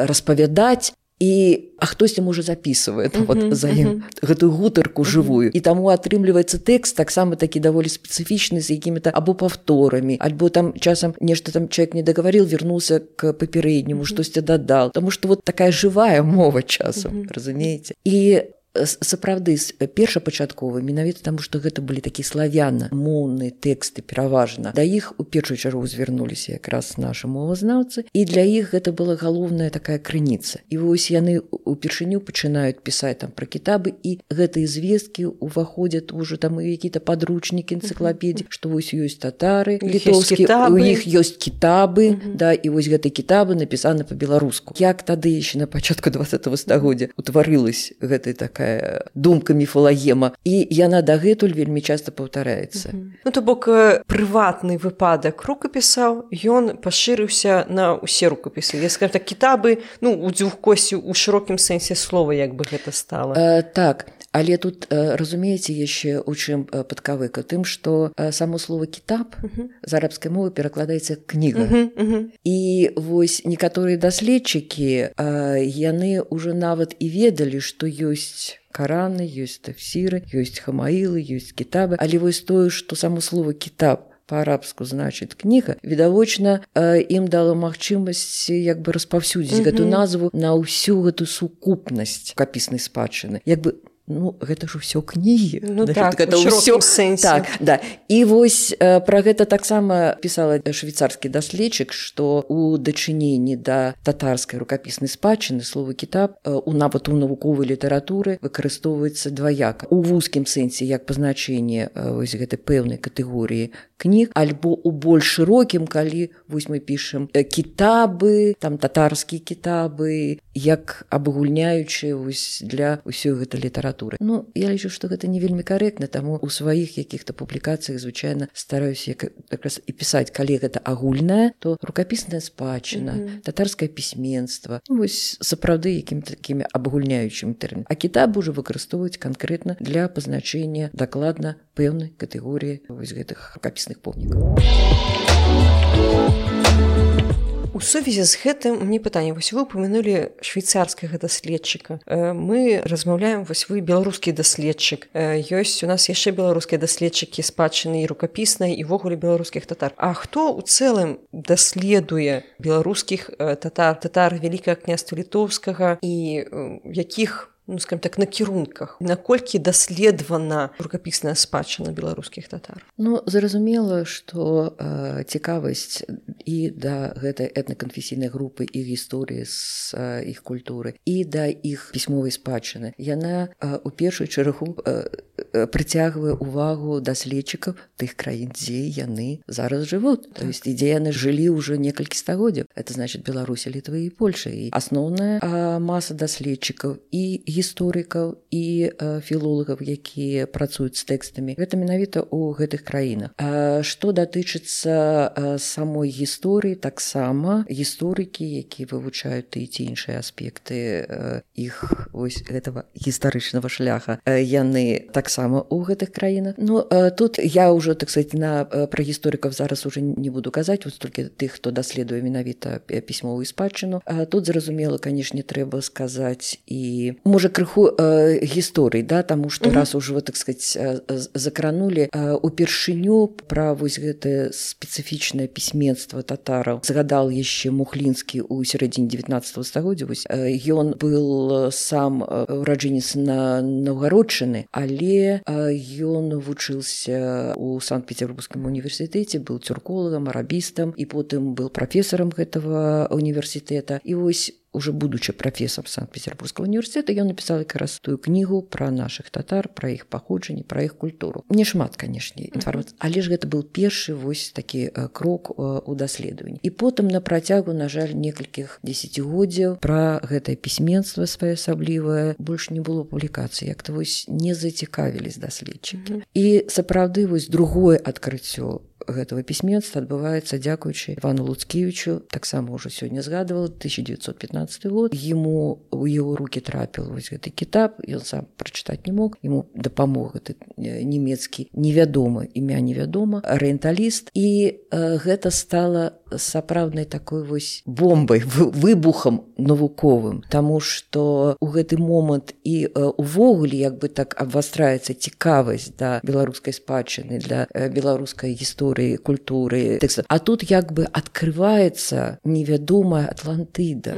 распавядаць, а хтосьці можа записывае за ім гэтую гутарку жывую. І таму атрымліваецца тэкст таксама такі даволі спецыфічны, з якімі-то або паўторамі, альбо там часам нешта там чалавек не дагаварыў, вярнуўся к папярэдняму, штосьці дадал. Таму што вот такая жывая мова часам, разумееце? І сапраўды першапачаткова, менавіта таму, што гэта былі такія славяна-моўныя тэксты пераважна. Да іх у першую чаргу звярнуліся якраз нашы мовазнаўцы, і для іх гэта была галоўная такая крыніца. І вось яны упершыню пачынаюць пісаць там пра кітабы, і гэтыя звесткі ўваходзяць ужо там у якія-то падручнікі, энцыклапедыі, што вось ёсць татары літоўскія, у іх ёсць кітабы, да, і вось гэтыя кітабы напісаны па-беларуску. Як тады яшчэ на пачатку 20-го стагоддзя утварылась гэтая такая думка міфалагема, і яна дагэтуль вельмі часта паўтараецца. Ну, то бок прыватны выпадак рукапісаў, ён пашырыўся на ўсе рукапісы. Я скажу так, кітабы, ну, у дзюхкосці, у шырокім сэнсе слова, як бы гэта стала. Так, але тут, разумееце, яшчэ у чым падкавыка? Тым, што само слово «кітаб» з арабскай мовы перакладаецца «кніга». І вось некаторыя даследчыкі, яны ўжо нават і ведалі, што ёсць Караны, ёсць тафсіры, ёсць хамаілы, ёсць кітабы, але вось тое, што само слово «кітаб» па-арабску значыць кніга, відавочна ім дала магчымасць як бы распаўсюдзіць гэту назву на ўсю гэту сукупнасць рукапіснай спадчыны. Як бы ну, гэта ж усё кнігі. Ну так, у шырокім сэнсе. Так, да. І вось пра гэта таксама пісала швейцарскі даследчык, што у дачыненні да татарскай рукапіснай спадчыны слова «кітаб» нават у навуковай літаратуры выкарыстоўваецца дваяка. У вузкім сэнсе як пазначэнне вось гэтай пэўнай катэгорыі кніг, альбо у больш шырокім, калі вось мы пішам кітабы, там татарскія кітабы, як абагульняючы вось для ўсёй гэтай літаратуры. Ну, я лічу, што гэта не вельмі карэктна, таму у сваіх якіх-то публікацыях звычайна стараюся якраз і пісаць, калі гэта агульнае, то рукапісная спадчына, татарскае пісьменства, ну, вось сапраўды якімі такімі абагульняючымі тэрмінамі. А кітабы ўжо выкарыстоўваюць канкрэтна для пазначэння дакладна пэўнай катэгорыі вось гэтых рукапісных помнікаў. У сувязі з гэтым мне пытанне, вось вы упомянулі швейцарскага даследчыка. Мы размаўляем, вось вы беларускі даследчык. Ёсць у нас яшчэ беларускія даследчыкі спадчыны і рукапіснай, і ввогуле беларускіх татар. А хто ў цэлым даследуе беларускіх татар, татар Вялікага княства Літоўскага, і якіх скажем так, накірунках, наколькі даследавана рукапісная спадчына беларускіх татар? Зразумела, што цікавасць і да гэтай этнаканфесійнай групы, і гісторыі з іх культуры, і да іх пісьмовай спадчыны, яна у першую чаргу прыцягвае ўвагу даследчыкаў тых краін, дзе яны зараз жывуць, то есть дзе яны жылі ўжо некалькі стагоддзяў. Это значит Беларусі, Літвы і Польша. І асноўная маса даследчыкаў і гісторыкаў і філолагаў, якія працуюць з тэкстамі, гэта менавіта ў гэтых краінах. Што датычыцца самой гісторыі, таксама гісторыкі, якія вывучаюць тыя ці іншыя аспекты іх вось гэтага гістарычнага шляха, яны таксама ў гэтых краінах. Тут я ўжо, так сказать, пра гісторыкаў зараз уже не буду казаць, вось толькі тых, хто даследуе менавіта пісьмовую спадчыну. Тут, зразумела, канешне, трэба сказаць і, можа, крыху гісторый, да, таму што раз ужо, так сказать, закранулі упершыню пра вось гэтае спецыфічнае пісьменства татараў. Згадал яшчэ Мухлінскі ў сярэдзіне 19 стагоддзя. Вось ён был сам ураджэнец Наўгародчыны, але ён вучыўся ў Санкт-Петербургскім універсітэце, быў тюрколагам, арабістам і потым был прафесарам гэтага універсітэта. І вось уже будучы прафесарам Санкт-Петербургскага універсітэта, ён напісаў якраз тую кнігу пра нашых татар, пра іх паходжанне, пра іх культуру. Не шмат, канешне, інфармацыі, але ж гэта быў першы вось такі крок у даследаванні. І потым на працягу, на жаль, некалькіх дзесяцігоддзяў пра гэтае пісьменства своеасаблівае больш не было публікацый, як-то вось не зацікавілись даследчыкі. І сапраўды вось другое адкрыццё гэтага пісьменства адбываецца дзякуючы Івану Луцкевічу, таксама ўжо сёння згадывала, 1915 год. Ему у яго рукі трапіў вось гэты кітаб, ён сам прачытаць не мог, ему дапамог гэты нямецкі невядомы, імя невядома, арыенталіст, і гэта стала сапраўднай такой вось бомбай, выбухам навуковым, таму што ў гэты момант і увогуле як бы так абвастраецца цікавасць да беларускай спадчыны, для беларускай гісторыі, культуры, тэкста. А тут як бы адкрываецца невядомая Атлантыда,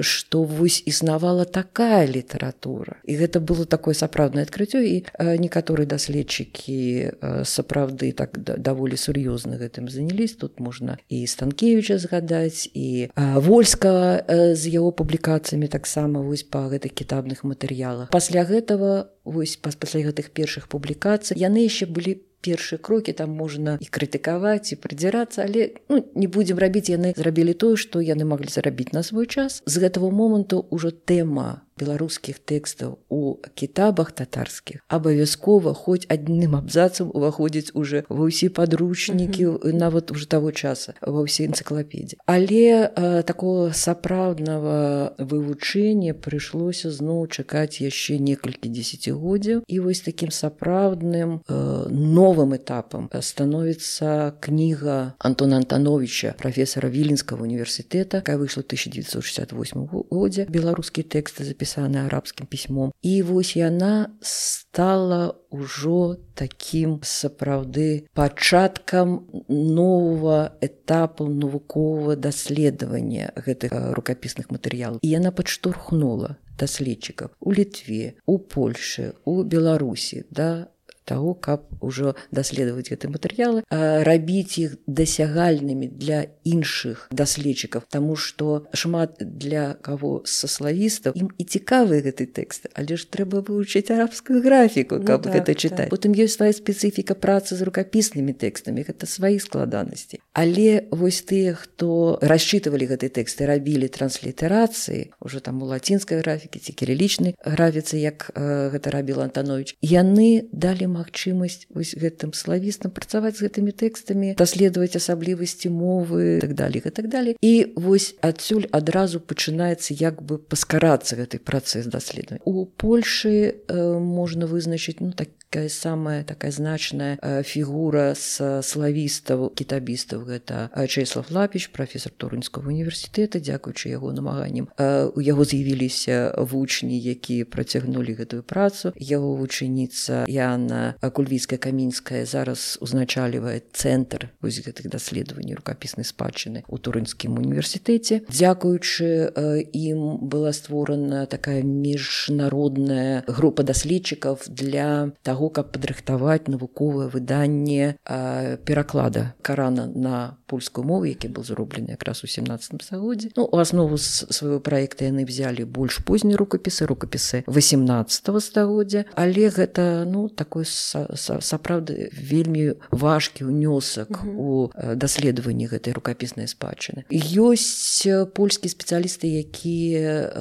што вось існавала такая літаратура. І гэта было такое сапраўднае адкрыццё, і некаторыя даследчыкі сапраўды так даволі сур'ёзна гэтым занялись. Тут можна і Станкевіча згадаць, і Вольскага з яго публікацыямі таксама вось па гэтых кітабных матэрыялах. Пасля гэтага, вось пасля гэтых першых публікацый, яны яшчэ былі першыя крокі, там можна і крытыкаваць, і прыдзірацца, але не будзем рабіць, яны зрабілі тое, што яны маглі зарабіць на свой час. З гэтага моманту ўжо тэма беларускіх тэкстаў у кітабах татарскіх абавязкова хоць адным абзацам уваходзіць уже ва ўсе падручнікі, нават уже таго часа, ва ўсе энцыклапедыі. Але такого сапраўднага вывучэння прыйшлося зноў чакаць яшчэ некалькі дзесяцігоддзяў, і вось такім сапраўдным новым этапам становіцца кніга Антона Антановича, прафесара Віленскага універсітэта, якая выйшла ў 1968 годзе, беларускія тэксты запісаны арабскім пісьмом. І вось яна стала ўжо такім сапраўды пачаткам новага этапу навуковага даследавання гэтых рукапісных матэрыялаў. І яна падштурхнула даследчыкаў у Літве, у Польшы, у Беларусі, да таго, каб ужо даследаваць гэтыя матэрыялы, рабіць іх дасягальнымі для іншых даследчыкаў, таму што шмат для каго са славістаў ім і цікавы гэты тэкст, але ж трэба вывучыць арабскую графіку, каб гэта чытаць. Потым ёсць свая спецыфіка працы з рукапіснымі тэкстамі, гэта свае складанасці. Але вось тыя, хто расчытывалі гэтыя тэксты, рабілі транслітарацыі, ужо там у лацінскай графікі ці кірылічнай графіцы, як гэта рабіў Антанович, яны далі магчымасць вось гэтым славістам працаваць з гэтымі тэкстамі, даследаваць асаблівасці мовы, так далее. І вось адсюль адразу пачынаецца як бы паскарацца гэты працэс даследавання. У Польшы можна вызначыць такая самая такая значная фігура з славістаў, кітабістаў, гэта Чэслав Лапіч, прафесар Торунскага універсітэта, дзякуючы яго намаганням. У яго з'явіліся вучні, якія працягнулі гэтую працу. Яго вучаніца Яна Галіна Кульвіцкая-Камінская зараз узначальвае цэнтр вось гэтых даследаванняў рукапіснай спадчыны ў Турынскім універсітэце. Дзякуючы ім была створана такая міжнародная група даследчыкаў для таго, каб падрыхтаваць навуковае выданне пераклада Карана на польскую мову, які быў зроблены якраз у 17 стагоддзі. У аснову свайго праекта яны взялі больш позні рукапісы 18 стагоддзя, але гэта такой сапраўды вельмі важкі ўнёсак у даследаванні гэтай рукапіснай спадчыны. Ёсць польскія спецыялісты, якія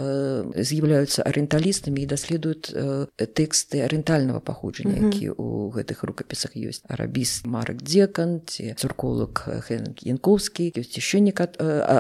з'яўляюцца арыенталістамі і даследуюць тэксты арыентальнага паходжання, якія ў гэтых рукапісах ёсць. Арабіст Марак Дзекан, ці цурколог Хенк Янковскі, ёсць яшчэ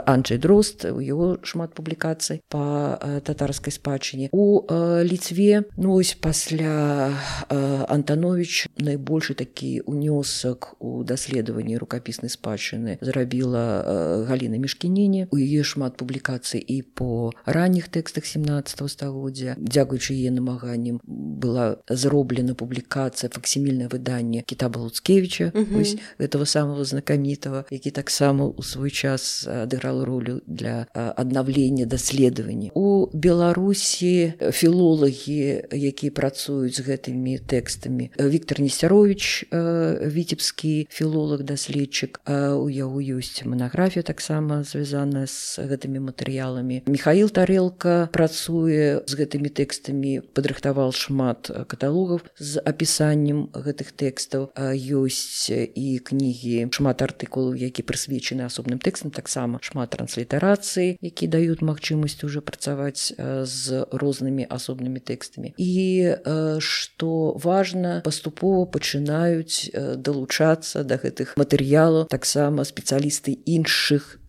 Анджэй Дрозд, у яго шмат публікацый па татарскай спадчыне. У Літве, ось пасля Антанович найбольшы такі ўнёсак у даследаванні рукапіснай спадчыны зрабіла Галіна Мішкініне. У яе шмат публікацый і по ранніх тэкстах 17 стагоддзя. Дзякуючы яе намаганням была зроблена публікацыя, факсімільнае выданне Кітаба Луцкевіча, ось гэтага самого знакамітого, які таксама ў свой час адыграл ролю для аднаўлення даследавання. У Беларусі філолагі, якія працуюць з гэтымі тэкстамі. Віктор Несцяровіч, віцебскі філолог-даследчык, у яго ёсць манаграфія таксама звязаная з гэтымі матэрыяламі. Міхаіл Тарэлка працуе з гэтымі тэкстамі, падрыхтаваў шмат каталогаў з апісаннем гэтых тэкстаў. Ёсць і кнігі, шмат артыкулаў, які прысвечаны асобным тэкстам, таксама шмат транслітарацыі, які даюць магчымасць уже працаваць з рознымі асобнымі тэкстамі. І, што важна, паступова пачынаюць далучацца да гэтых матэрыялаў таксама спецыялісты іншых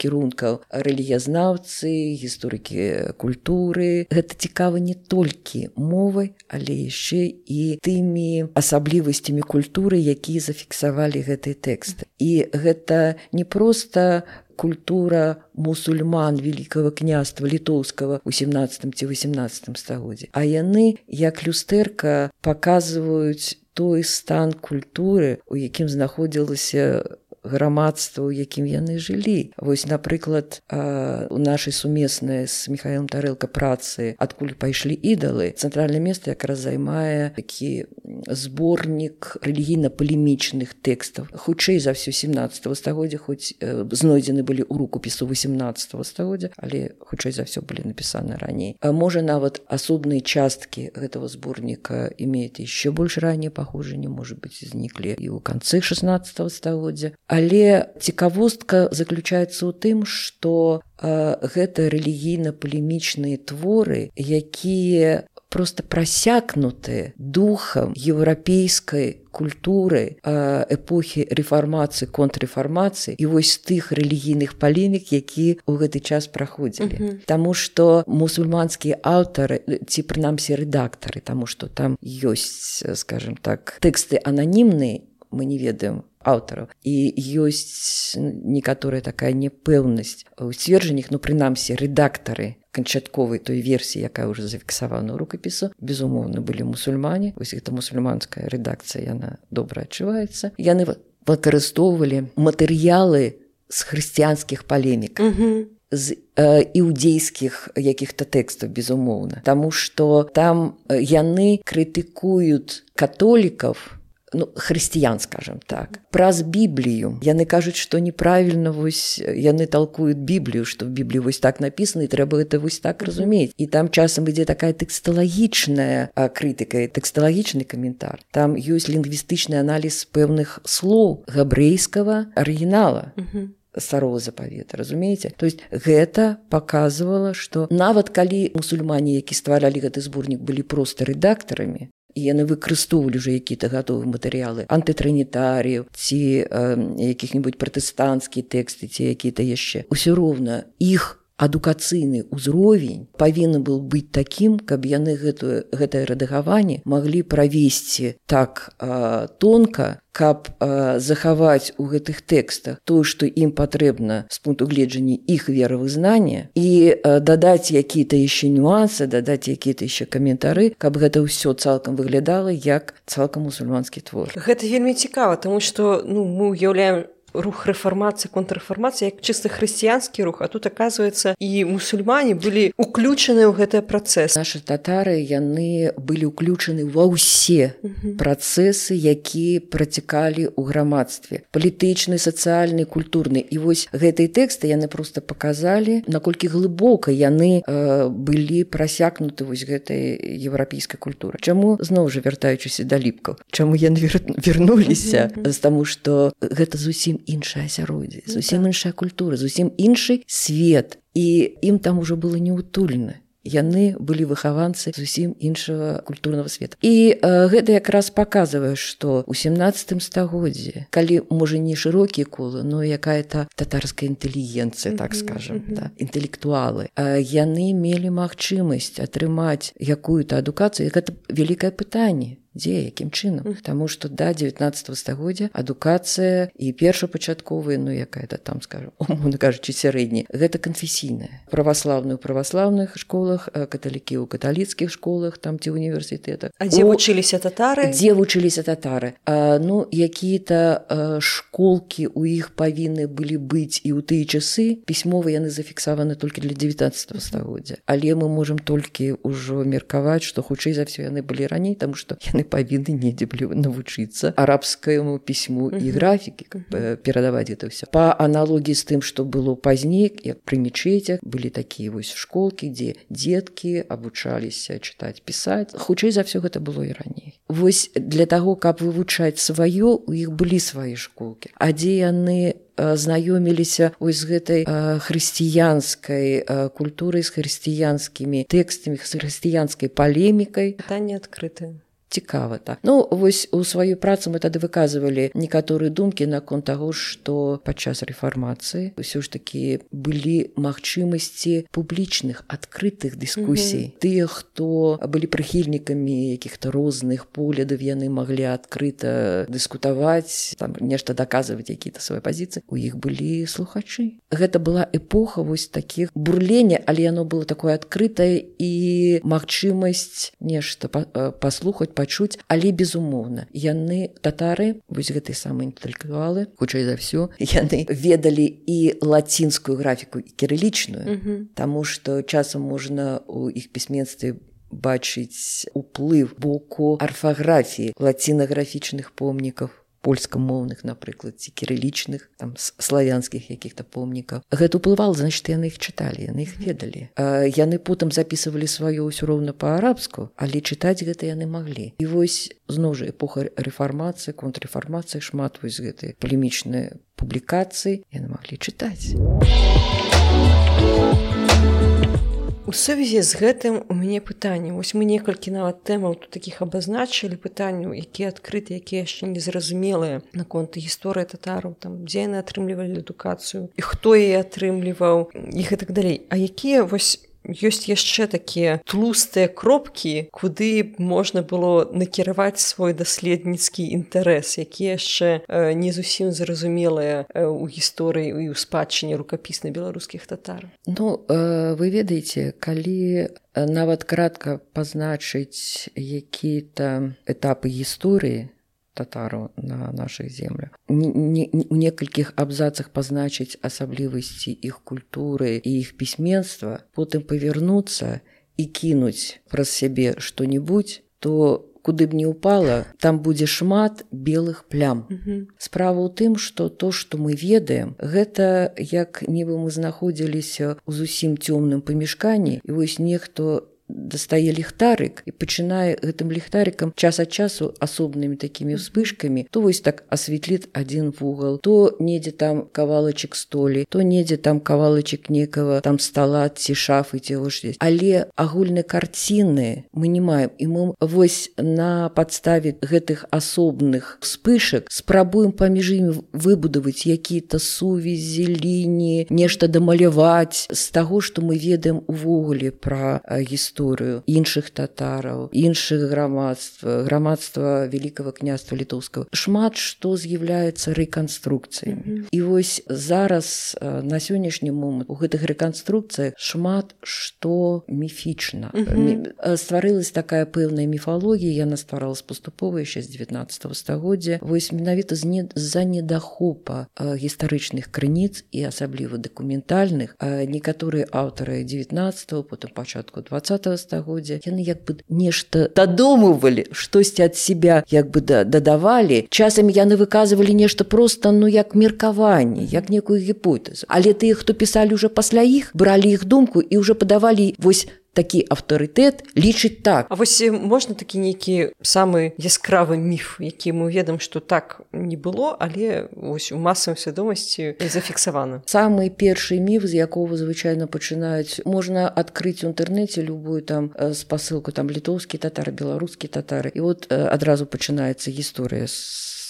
кірункаў, рэлігіязнаўцы, гісторыкі культуры. Гэта цікава не толькі мовай, але яшчэ і тымі асаблівасцямі культуры, якія зафіксавалі гэтыя тэксты. І гэта не проста культура мусульман Великого княства Літоўскага ў 17 ці 18 стагоддзі, а яны, як люстэрка, паказваюць той стан культуры, у якім знаходзілася грамадства, у якім яны жылі. Вось, напрыклад, у нашай сумеснай з Міхаілам Тарэлка працы «Адкуль пайшлі ідалы» цэнтральнае месца якраз займае такі зборнік рэлігійна-палемічных тэкстаў. Хутчэй за ўсё 17 стагоддзя, хоць знойдзены былі ў рукапісу 18 стагоддзя, але хутчэй за ўсё былі напісаны раней. Можа, нават асобныя часткі гэтага зборніка имеют еще больш раннее паходжанне, может быть, зніклі і ў канцы 16 стагоддзя. Але цікавостка заключаецца ў тым, што гэта рэлігійна-палемічныя творы, якія проста прасякнуты духам еўрапейскай культуры эпохі рэфармацыі, контррэфармацыі і вось тых рэлігійных палемік, якія ў гэты час праходзілі. Таму што мусульманскія аўтары, ці прынамсі рэдактары, таму што там ёсць, скажем так, тэксты ананімныя, мы не ведаем аўтараў, і ёсць некаторая такая непэўнасць у сцверджаннях, прынамсі рэдактары канчатковай той версіі, якая ўжо зафіксавана ў рукапісу, безумоўна, былі мусульмане. Вось гэта мусульманская рэдакцыя, яна добра адчуваецца. Яны выкарыстоўвалі матэрыялы з хрысціянскіх палемік, з іўдзейскіх якіх-то тэкстаў, безумоўна. Таму што там яны крытыкуюць католікаў, хрысціян, скажем так, праз Біблію. Яны кажуць, што неправільна, вось яны талкуюць Біблію, што в Бібліі вось так напісана, і трэба гэта вось так разумець. І там часам ідзе такая тэксталагічная крытыка, тэксталагічны каментар. Там ёсць лінгвістычны аналіз пэўных слоў габрэйскага арыгінала. Старого запавета, разумееце? То есть гэта паказвала, што нават калі мусульмане, які стваралі гэты зборнік, былі проста рэдактарамі, і яны выкарыстоўвалі ўжо якія-то гатовыя матэрыялы антытрынітарыяў ці якіх-небудзь пратэстанцкія тэксты ці якія-то яшчэ, усё роўна іх адукацыйны ўзровень павінен был быць такім, каб яны гэтае рэдагаванне маглі правесці так тонка, каб захаваць у гэтых тэкстах тое, што ім патрэбна з пункту гледжання іх веравызнання, і дадаць якія-то яшчэ нюансы, дадаць якія-то яшчэ каментары, каб гэта ўсё цалкам выглядала як цалкам мусульманскі твор. Гэта вельмі цікава, таму што мы ўяўляем рух рэфармацыі, контррэфармацыі як чыста хрысціянскі рух, а тут, аказваецца, і мусульмане былі ўключаны ў гэты працэс. Нашы татары, яны былі ўключаны ва ўсе працэсы, якія працякалі ў грамадстве. Палітычны, сацыяльны, культурны. І вось гэтыя тэксты яны проста паказалі, наколькі глыбока яны былі прасякнуты вось гэтай еўрапейскай культуры. Чаму, зноў жа, вяртаючыся да ліпкаў, чаму яны вярнуліся? Таму што гэта зусім іншае асяроддзе, зусім іншая культура, зусім іншы свет, і ім там ужо было неутульна. Яны былі выхаванцы зусім іншага культурнага света. І гэта якраз паказвае, што ў 17 стагоддзі, калі, можа, не шырокія колы, но якая-то татарская інтэлігенцыя, так скажам, інтэлектуалы, яны мелі магчымасць атрымаць якую-то адукацыю. Гэта вялікае пытанне. Дзе, якім чынам? Таму што да 19 стагоддзя адукацыя і першапачатковая, якая-то там, скажам, умоўна кажучы, сярэдняя, гэта канфесійная. Праваслаўную ў праваслаўных школах, каталікі ў каталіцкіх школах, там ці універсітэтах. А дзе вучыліся татары? Дзе вучыліся татары? Якія-то школкі ў іх павінны былі быць і ў тыя часы, пісьмова яны зафіксаваны толькі для 19 стагоддзя. Але мы можам толькі ўжо меркаваць, што хутчэй за ўсё яны былі раней, таму што яны павінны недзе былі навучыцца арабскаму пісьму і графікі, перадаваць гэта ўсё. Па аналогіі з тым, што было пазней, як пры мечетях, былі такія вось школкі, дзе дзеткі абучаліся чытаць, пісаць. Хутчэй за ўсё гэта было і раней. Вось для таго, каб вывучаць сваё, у іх былі свае школкі. А дзе яны знаёміліся з гэтай хрысціянскай культурай, з хрысціянскімі тэкстамі, з хрысціянскай палемікай. Пытанне адкрытае. Цікава, так. Вось у сваёй працы мы тады выказвалі некаторыя думкі наконт таго, што падчас рэфармацыі ўсё ж такі былі магчымасці публічных, адкрытых дыскусій. Тыя, хто былі прыхільнікамі якіх-то розных поглядаў, яны маглі адкрыта дыскутаваць, там нешта даказваць, якія-то свае пазіцыі. У іх былі слухачы. Гэта была эпоха вось такіх бурлення, але яно было такое адкрытае і магчымасць нешта паслухаць, пачуць, але безумоўна. Яны, татары, вось гэтыя самыя інтэлектуалы, хутчэй за ўсё, яны ведалі і лацінскую графіку, і кірылічную, таму што часам можна ў іх пісьменстве бачыць уплыв боку арфаграфіі лацінаграфічных помнікаў, польскамоўных, напрыклад, ці кірылічных, там, славянскіх якіх-то помнікаў. Гэта ўплывала, значыць, яны іх чыталі, яны іх ведалі. Яны потым запісывалі сваё ўсё роўна па-арабску, але чытаць гэта яны маглі. І вось, зноў жа, эпоха рэфармацыі, контррэфармацыі, шмат вось гэтай палемічнай публікацыі яны маглі чытаць. У сувязі з гэтым у мяне пытанне. Вось мы некалькі нават тэмаў тут такіх абазначылі, пытанняў, якія адкрыты, якія яшчэ незразумелыя наконт гісторыі татараў, там, дзе яны атрымлівалі адукацыю, і хто яе атрымліваў, і гэтак далей. А якія вось ёсць яшчэ такія тлустыя кропкі, куды можна было накіраваць свой даследніцкі інтарэс, якія яшчэ не зусім зразумелыя ў гісторыі і ў спадчыне рукапіснай беларускіх татар. Вы ведаеце, калі нават кратка пазначыць якія-то этапы гісторыі татараў на нашых землях, у некалькіх абзацах пазначыць асаблівасці іх культуры і іх пісьменства, потым павярнуцца і кінуць праз сябе што-небудзь, то куды б не ўпала, там будзе шмат белых плям. Справа ў тым, што то, што мы ведаем, гэта як нібы мы знаходзіліся ў зусім цёмным памяшканні, і вось нехто дастае ліхтарык і пачынае гэтым ліхтарыкам час ад часу асобнымі такімі ўспышкамі, то вось так асветліць адзін вугал, то недзе там кавалачак столі, то недзе там кавалачак некага там стала ці шафы ці вось. Але агульнай карціны мы не маем, і мы вось на падставе гэтых асобных вспышак спрабуем паміж імі выбудаваць якія-то сувязі, лініі, нешта дамаляваць з таго, што мы ведаем увогуле пра гісторыю іншых татараў, іншых грамадства Великага княства літоўскага. Шмат што з'яўляецца рэканструкцыямі. І вось зараз на сённяшні момант у гэтых рэканструкцыях шмат што міфічна. Стварылась такая пэўная міфалогія, яна стваралась паступова яшчэ з 19 стагоддзя. Вось менавіта з-за недахопа гістарычных крыніц і асабліва дакументальных. Некаторыя аўтары 19-го, потым пачатку 20-го стагоддзя, яны як бы нешта дадумывалі, штосьці ад себя як бы дадавалі. Часамі яны выказывалі нешта проста, ну, як меркаванне, як некую гіпотэзу. Але тыя, хто пісалі ўжо пасля іх, бралі іх думку і ўжо падавалі вось такі аўтарытэт лічыць так. А вось можна такі нейкі самы яскравы міф, які мы ведаем, што так не было, але вось у масавай свядомасці зафіксавана. Самы першы міф, з якога звычайна пачынаюць, можна адкрыць у інтэрнэце любую там спасылку, там літоўскі татар, беларускі татары, і от адразу пачынаецца гісторыя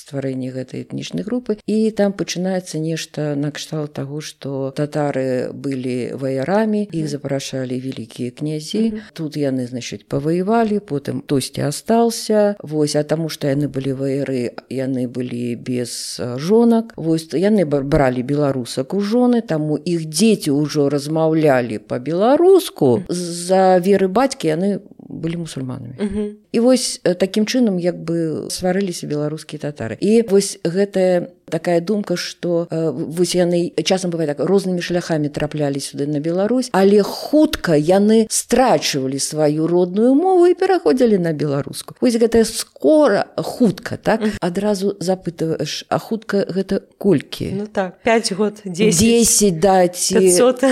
стварэння гэтай этнічнай групы, і там пачынаецца нешта накшталт таго, што татары былі ваярамі, іх запрашалі вялікія князі, тут яны, значыць, паваявалі, потым хтосьці астаўся, вось, а таму што яны былі ваяры, яны былі без жонак, вось, яны бралі беларусак у жоны, таму іх дзеці ўжо размаўлялі па-беларуску, з-за веры бацькі яны былі мусульманамі. І вось такім чынам як бы стварыліся беларускія татары. І вось гэтая такая думка, што вось яны часам бывае так, рознымі шляхамі траплялі сюды на Беларусь, але хутка яны страчвалі сваю родную мову і пераходзілі на беларуску. Вось гэтая скора, хутка, так? Адразу запытваеш, а хутка гэта колькі? Ну так, 5 год, 10. 10, да, ці 500,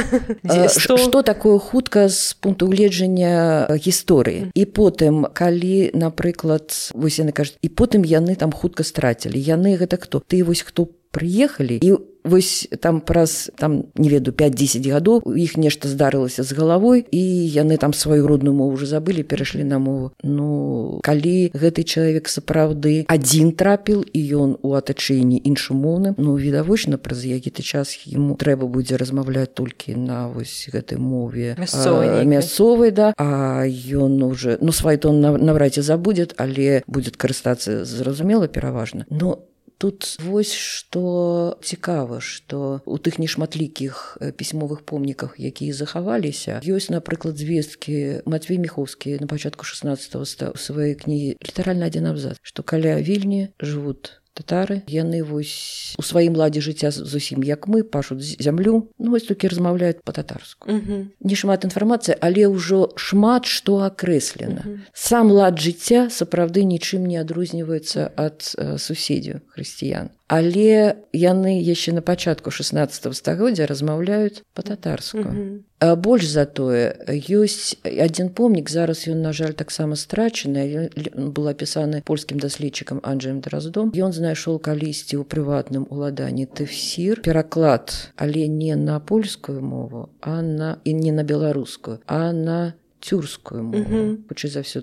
100. Што такое хутка з пункту гледжання гісторыі? І потым, калі, напрыклад, вось яны кажуць, і потым яны там хутка страцілі. Яны гэта хто? Ты вось хто прыехалі, і вось там праз, там, не ведаю, 5-10 гадоў у іх нешта здарылася з галавой, і яны там сваю родную мову ўжо забылі, перайшлі на мову. Ну, калі гэты чалавек сапраўды адзін трапіл, і ён у атачэнні іншамоўным, ну, відавочна, праз які-то час яму трэба будзе размаўляць толькі на вось гэтай мове мясцовай, да, а ён уже, ну, свой тон навряд ці забудзе, але будзе карыстацца зразумела пераважна. Но тут вось што цікава, што у тых нешматлікіх пісьмовых помніках, якія захаваліся, ёсць, напрыклад, звесткі Матвей Міхоўскі на пачатку 16-го у сваёй кнігі літаральна адзін абзац, што каля Вільні жывуць татары, яны вось у сваім ладзе жыцця зусім як мы, пашуць зямлю, ну вось толькі размаўляюць па-татарску. Не шмат інфармацыі, але ўжо шмат што акрэслена. Сам лад жыцця сапраўды нічым не адрозніваецца ад суседзяў хрысціян. Але яны яшчэ на пачатку 16 стагоддзя размаўляюць па-татарску. Больш за тое, ёсць адзін помнік, зараз ён, на жаль, таксама страчаны, был апісаны польскім даследчыкам Анджэем Драздом. Ён знайшоў калісьці ў прыватным уладанні тэфсір, пераклад, але не на польскую мову, і не на беларускую, а на тюркскую мову. Хутчэй за ўсё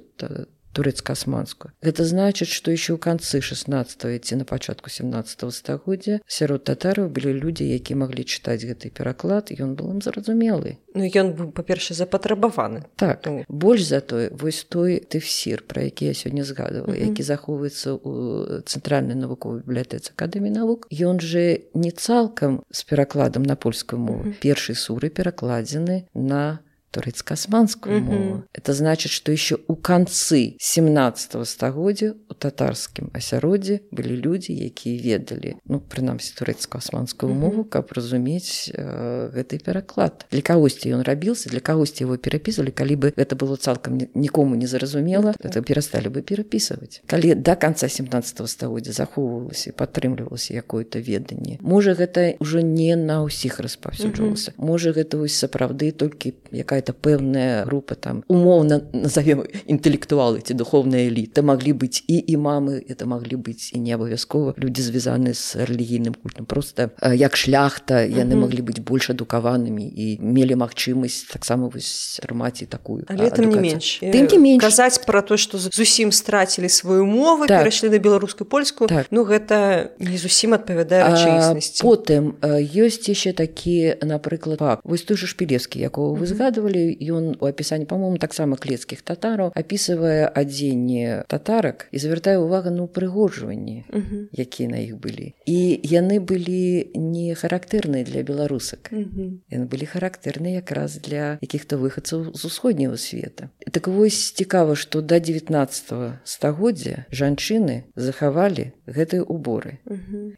турэцка-асманскую. Гэта значыць, што яшчэ ў канцы 16-го ці на пачатку 17-го стагоддзя сярод татараў былі людзі, якія маглі чытаць гэты пераклад, і ён был ім зразумелы. Ну, ён быў, па-перше, запатрабаваны. Так. Больш за тое, вось той тэфсір, пра які я сёння згадывала, які захоўваецца ў Цэнтральнай навуковай бібліятэцы Акадэміі навук, ён жа не цалкам з перакладам на польскую мову. Першыя суры перакладзены на турэцка-асманскую мову. Это значит, что еще у канцы 17 стагоддзя у татарскім асяроддзі былі людзі, якія ведалі, ну, прынамсі, турэцка-асманскую мову, каб разумець гэты пераклад. Для кагосьці ён рабіўся, для кагосьці его перапісвалі, калі бы гэта было цалкам нікому не зразумела, это перасталі бы перапісваць. Калі да канца 17 стагоддзя захоўвалася і падтрымлівалася якое-то веданне, можа, гэта ўжо не на ўсіх распаўсюджвалася. Можа, гэта вось сапраўды толькі якая какая-то пэўная группа там умоўна назовем інтэлектуалы ці духовная эліта, маглі быць і імамы, это маглі быць і не абавязкова людзі звязаны з рэлігійным культам, просто як шляхта яны маглі быць больш адукаванымі і мелі магчымасць таксама атрымаць і такую тым не менш казаць пра то, што зусім страцілі сваю мову, перайшлі на беларускую польскую, ну гэта не зусім адпавядае рэчаіснасці. Потым ёсць яшчэ такі, напрыклад, факт. Вось той жа Шпілевскі, якого вы згадвалі, ён у апісанні, па-моему, таксама клецкіх татараў апісвае адзенне татарак і звяртае ўвагу на упрыгожванні, якія на іх былі. І яны былі не характэрныя для беларусак. Яны былі характэрныя якраз для якіх-то выхадцаў з усходняга света. Так вось цікава, што да 19 стагоддзя жанчыны захавалі гэтыя уборы.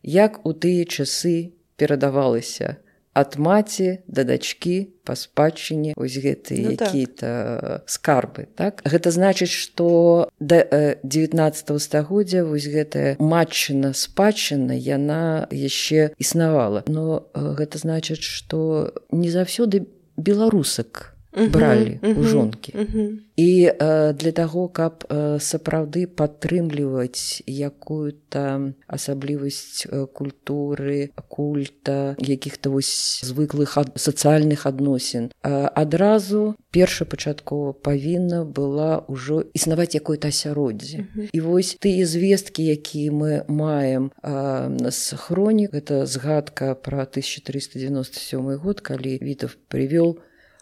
Як у тыя часы перадавалася ад маці да дачкі па спадчыне вось гэтыя якія-то скарбы, так? Гэта значыць, што да 19 стагоддзя вось гэтая матчына спадчына яна яшчэ існавала. Но гэта значыць, што не заўсёды беларусак бралі у жонкі. І для таго, каб сапраўды падтрымліваць якую-то асаблівасць культуры, культа, якіх-то вось звыклых сацыяльных адносін, адразу першапачаткова павінна была ўжо існаваць якое-то асяроддзе. І вось тыя звесткі, якія мы маем з хронік, гэта згадка пра 1397 год, калі Вітаўт прывёў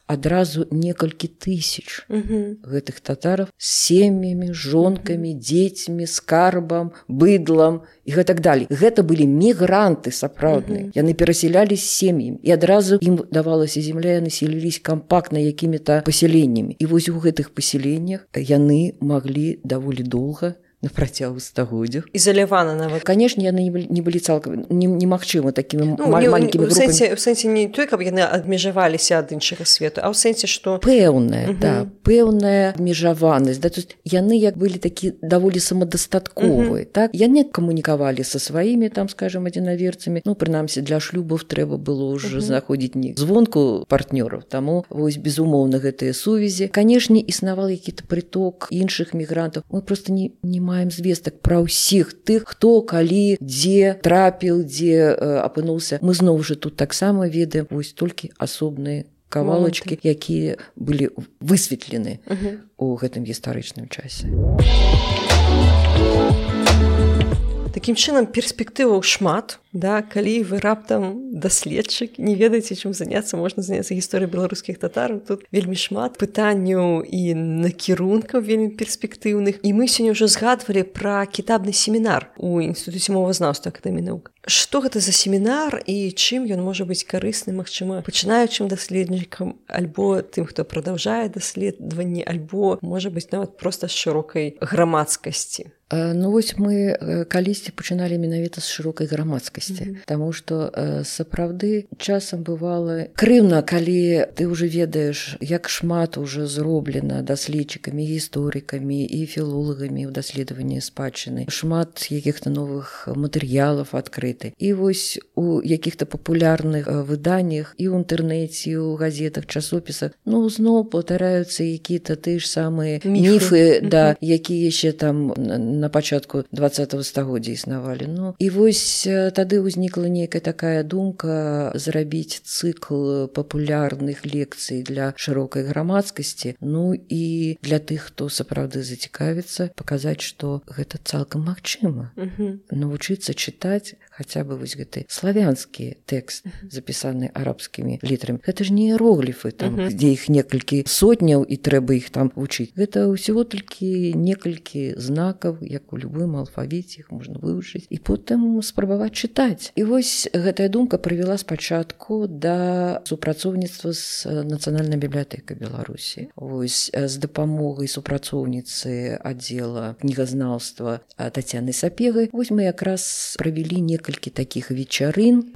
адразу некалькі тысяч гэтых татараў з сем'ямі, жонкамі, дзецьмі, скарбам, быдлам і гэтак далей. Гэта былі мігранты сапраўдныя. Яны перасялялі з сем'ямі. І адразу ім давалася зямля, яны селіліся кампактна якімі-то пасяленнямі. І вось у гэтых пасяленнях яны маглі даволі доўга на працягу стагоддзяў. Ізалявана нават. Канешне, яны не былі цалкам немагчыма такімі маленькімі групамі. У сэнсе не той, каб яны адмежаваліся ад іншага свету, а ў сэнсе, што пэўная, пэўная абмежаванасць. То есть яны як былі такі даволі самадастатковыя, так? Яны камунікавалі са сваімі, там, скажем, адзінаверцамі. Ну, прынамсі, для шлюбаў трэба было ўжо знаходзіць не звонку партнёраў, таму вось безумоўна гэтыя сувязі. Канешне, існаваў які-то прыток іншых мігрантаў. Мы проста не маем звестак пра ўсіх тых, хто, калі, дзе трапіў, дзе апынуўся. Мы зноў жа тут таксама ведаем вось толькі асобныя кавалачкі, якія былі высветлены у гэтым гістарычным часе. Такім чынам, перспектываў шмат, да, калі вы раптам даследчык, не ведаеце, чым заняцца, можна заняцца гісторыяй беларускіх татараў. Тут вельмі шмат пытанняў і накірункаў вельмі перспектыўных. І мы сёння ўжо згадвалі пра кітабны семінар у Інстытуце мовазнаўства Акадэміі навук. Што гэта за семінар і чым ён можа быць карысны, магчыма, пачынаючым даследнікам, альбо тым, хто прадаўжае даследаванні, альбо, можа быць, нават проста з шырокай грамадскасці? Ну вось мы калісьці пачыналі менавіта з шырокай грамадскасці, таму што сапраўды часам бывала крыўна, калі ты ўжо ведаеш, як шмат уже зроблена даследчыкамі, гісторыкамі і філолагамі ў даследаванні спадчыны. Шмат якіх-то новых матэрыялаў адкрыты. І вось у якіх-то папулярных выданнях і ў інтэрнэце, і ў газетах, часопісах, ну зноў паўтараюцца якія-то тыя ж самыя міфы, да, якія яшчэ там на пачатку 20-го стагоддзя існавалі. Ну, і вось тады ўзнікла нейкая такая думка зрабіць цыкл папулярных лекцый для шырокай грамадскасці, ну і для тых, хто сапраўды зацікавіцца, паказаць, што гэта цалкам магчыма. Навучыцца чытаць хаця бы вось гэты славянскі тэкст, запісаны арабскімі літарамі. Гэта ж не іерогліфы, там, дзе іх некалькі сотняў і трэба іх там вучыць. Гэта ўсяго толькі некалькі знакаў, як у любым алфавіце, іх можна вывучыць і потым спрабаваць чытаць. І вось гэтая думка прывяла спачатку да супрацоўніцтва з Нацыянальнай бібліятэкай Беларусі. Вось з дапамогай супрацоўніцы аддзела кнігазнаўства Тацяны Сапегай. Вось мы якраз правялі некалькі такіх вечарын.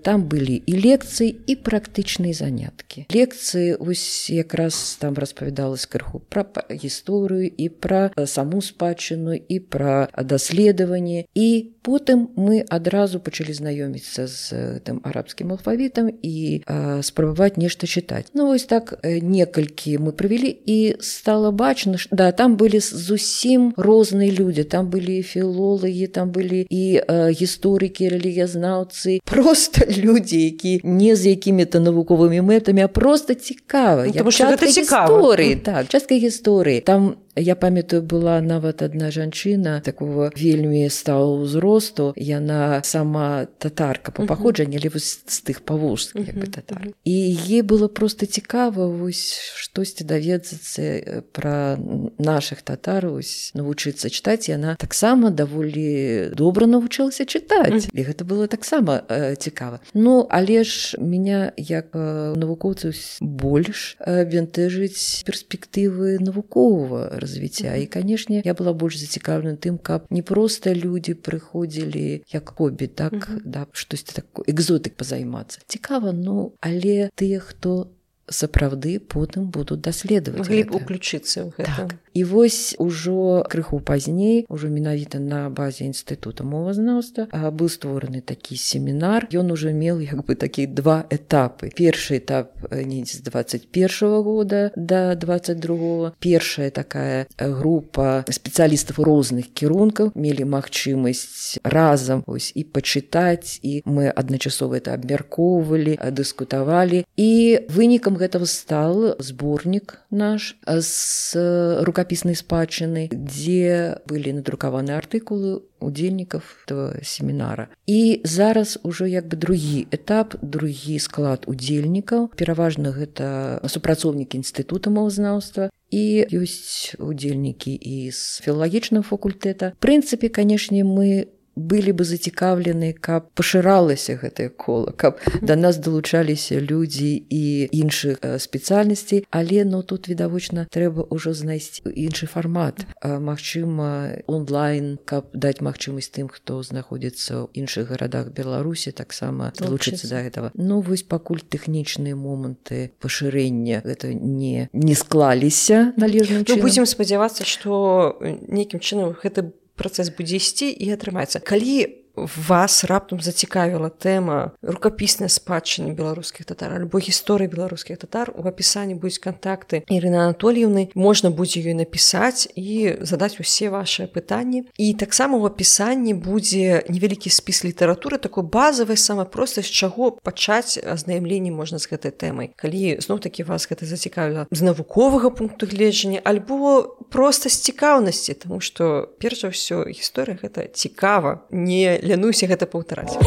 Там былі і лекцыі, і практычныя заняткі. Лекцыі вось якраз там распавядалась крыху пра гісторыю і пра саму спадчыну, і пра даследаванні. І потым мы адразу пачалі знаёміцца з тым арабскім алфавітам і спрабаваць нешта чытаць. Ну вось так некалькі мы правялі, і стала бачна, што да, там былі зусім розныя людзі, там былі філолагі, там былі і гісторыкі, рэлігіязнаўцы, просто людзі, які не з якімі-то навуковымі мэтамі, а просто цікава. Тому што гэта цікава. Так, частка гісторыі. Там, я памятаю, была нават адна жанчына такого вельмі сталого ўзросту, яна сама татарка па паходжанні, але з тых паволжскіх як бы татар. І ей было просто цікава вось штосьці даведацца пра нашых татар, вось навучыцца чытаць, і яна таксама даволі добра навучылася чытаць. І гэта было таксама цікава. Ну, але ж меня як навукоўцаў больш бянтэжыць перспектывы навуковага развіцця. І, канешне, я была больш зацікаўлена тым, каб не проста людзі прыходзілі як хобі, так, да, штосьці такое, экзотык пазаймацца. Цікава, ну, але тыя, хто сапраўды потым будуць даследаваць гэта. Маглі б уключыцца ў гэта. Так. І вось ужо крыху пазней, ужо менавіта на базе Інстытута мовазнаўства, быў створаны такі семінар. Ён ужо меў як бы такі два этапы. Першы этап недзе з 21-го года да 22-го. Першая такая група спецыялістаў розных кірункаў мелі магчымасць разам ось і пачытаць, і мы адначасова это абмяркоўвалі, дыскутавалі. І вынікам гэтага стал зборнік наш з рукапіснай спадчыны, дзе былі надрукаваны артыкулы удзельнікаў этого семінара. І зараз ужо як бы другі этап, другі склад удзельнікаў. Пераважна гэта супрацоўнікі Інстытута мовазнаўства, і ёсць удзельнікі і з філалагічнага факультэта. В прынцыпе, канешне, мы былі бы зацікаўлены, каб пашыралася гэтае кола, каб да нас далучаліся людзі і іншых спецыяльнасцей, але ну, тут відавочна трэба ўжо знайсці іншы фармат. Магчыма, онлайн, каб даць магчымасць тым, хто знаходзіцца ў іншых гарадах Беларусі, таксама далучыцца да гэтага. Ну, вось пакуль тэхнічныя моманты пашырэння гэта не склаліся належным чынам. Ну, будзем спадзявацца, што нейкім чынам гэта працэс будзе ісці і атрымаецца. Калі вас раптам зацікавіла тэма рукапіснай спадчыны беларускіх татар альбо гісторыі беларускіх татар, у апісанні будуць кантакты Ірыны Анатольевны, можна будзе ёй напісаць і задаць усе вашыя пытанні. І таксама ў апісанні будзе невялікі спіс літаратуры, такой базавай, самай простай, з чаго пачаць азнаямленне можна з гэтай тэмай. Калі зноў-такі вас гэта зацікавіла з навуковага пункту гледжання альбо проста з цікаўнасці, таму што перш за ўсё гісторыя гэта цікава, не лянуся гэта паўтараць.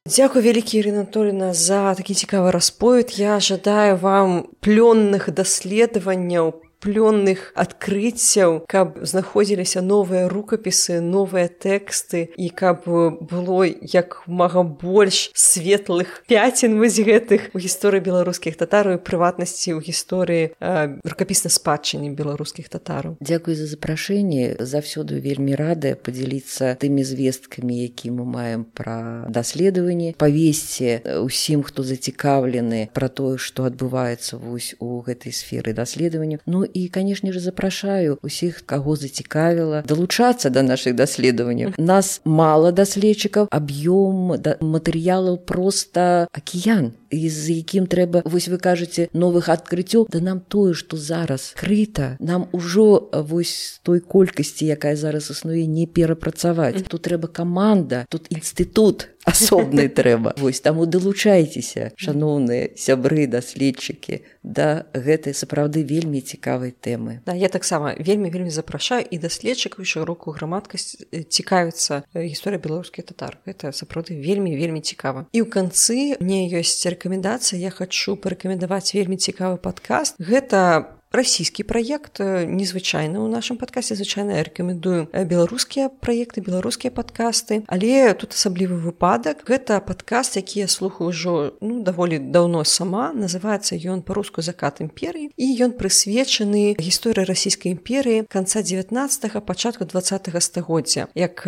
Дзякуй вялікі, Ірына Анатольевна, за такі цікавы расповед. Я жадаю вам плённых даследаванняў, плённых адкрыццяў, каб знаходзіліся новыя рукапісы, новыя тэксты, і каб было як мага больш светлых пяцін вось гэтых у гісторыі беларускіх татараў і прыватнасці ў гісторыі рукапіснай спадчыны беларускіх татараў. Дзякуй за запрашэнне. Заўсёды вельмі рада падзяліцца тымі звесткамі, які мы маем пра даследаванні. Павесці ўсім, хто зацікаўлены пра тое, што адбываецца вось у гэтай сферы даследавання. Ну і, канешне ж, запрашаю усіх, каго зацікавіла, далучацца да нашых даследаванняў. Нас мала даследчыкаў, аб'ём матэрыялаў проста акіян, з якім трэба, вось вы кажаце, новых адкрыццёў. Да нам тое, што зараз крыта, нам ужо вось той колькасці, якая зараз існуе, не перапрацаваць. Тут трэба каманда, тут інстытут асобны трэба. Вось таму далучайцеся, шаноўныя сябры, даследчыкі, да гэтай сапраўды вельмі цікавай тэмы. Да, я таксама вельмі запрашаю і даследчыкаў, і шырокую грамадскасць цікавіцца гісторыя беларускіх татар. Гэта сапраўды вельмі цікава. І ў канцы мне ёсць рэкамендацыя, я хачу парэкамендаваць вельмі цікавы падкаст. Гэта расійскі праект, незвычайны ў нашым падкасце. Звычайна я рэкамендую беларускія праекты, беларускія падкасты, але тут асаблівы выпадак. Гэта падкаст, які я слухаю ўжо даволі даўно сама. Называецца ён па-руску «Закат імперыі», і ён прысвечаны гісторыі расійскай імперыі канца 19-го, пачатку 20-го стагоддзя. Як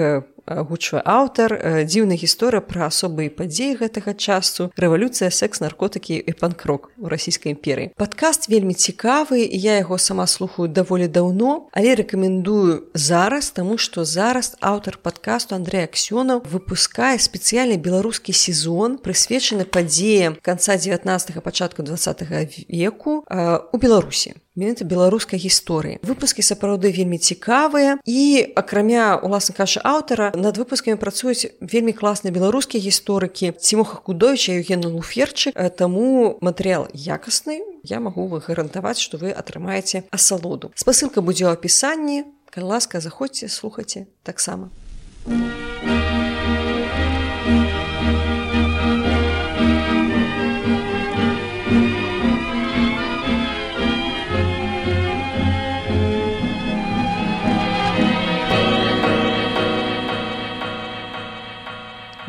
агучвае аўтар, дзіўная гісторыя пра асобы і падзеі гэтага часу, рэвалюцыя, секс, наркотыкі і панк-рок у расійскай імперыі. Падкаст вельмі цікавы, я яго сама слухаю даволі даўно, але рэкамендую зараз, таму што зараз аўтар падкасту Андрэй Аксёнаў выпускае спецыяльны беларускі сезон, прысвечаны падзеям канца 19-га, пачатку 20-га веку у Беларусі. Менавіта беларускай гісторыі. Выпускі сапраўды вельмі цікавыя і акрамя, уласна кажучы, аўтара, над выпускамі працуюць вельмі класныя беларускія гісторыкі Цімоха Кудовіча і Евген Луферчык, таму матэрыял якасны, я магу вы гарантаваць, што вы атрымаеце асалоду. Спасылка будзе ў апісанні, калі ласка, заходзьце, слухайце таксама.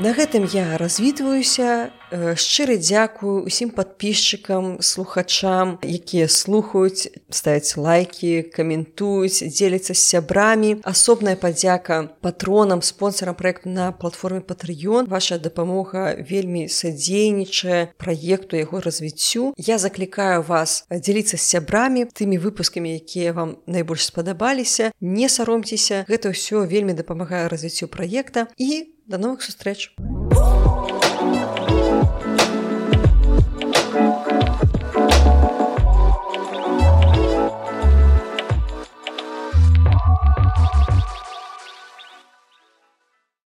На гэтым я развітваюся. Шчыры дзякую усім падпісчыкам, слухачам, якія слухаюць, ставяць лайкі, каментуюць, дзеляцца з сябрамі. Асобная падзяка патронам, спонсарам праекту на платформе Patreon. Ваша дапамога вельмі садзейнічае праекту, яго развіццю. Я заклікаю вас дзеліцца з сябрамі тымі выпускамі, якія вам найбольш спадабаліся. Не саромцеся, гэта ўсё вельмі дапамагае развіццю праекта і до новых сустрэч!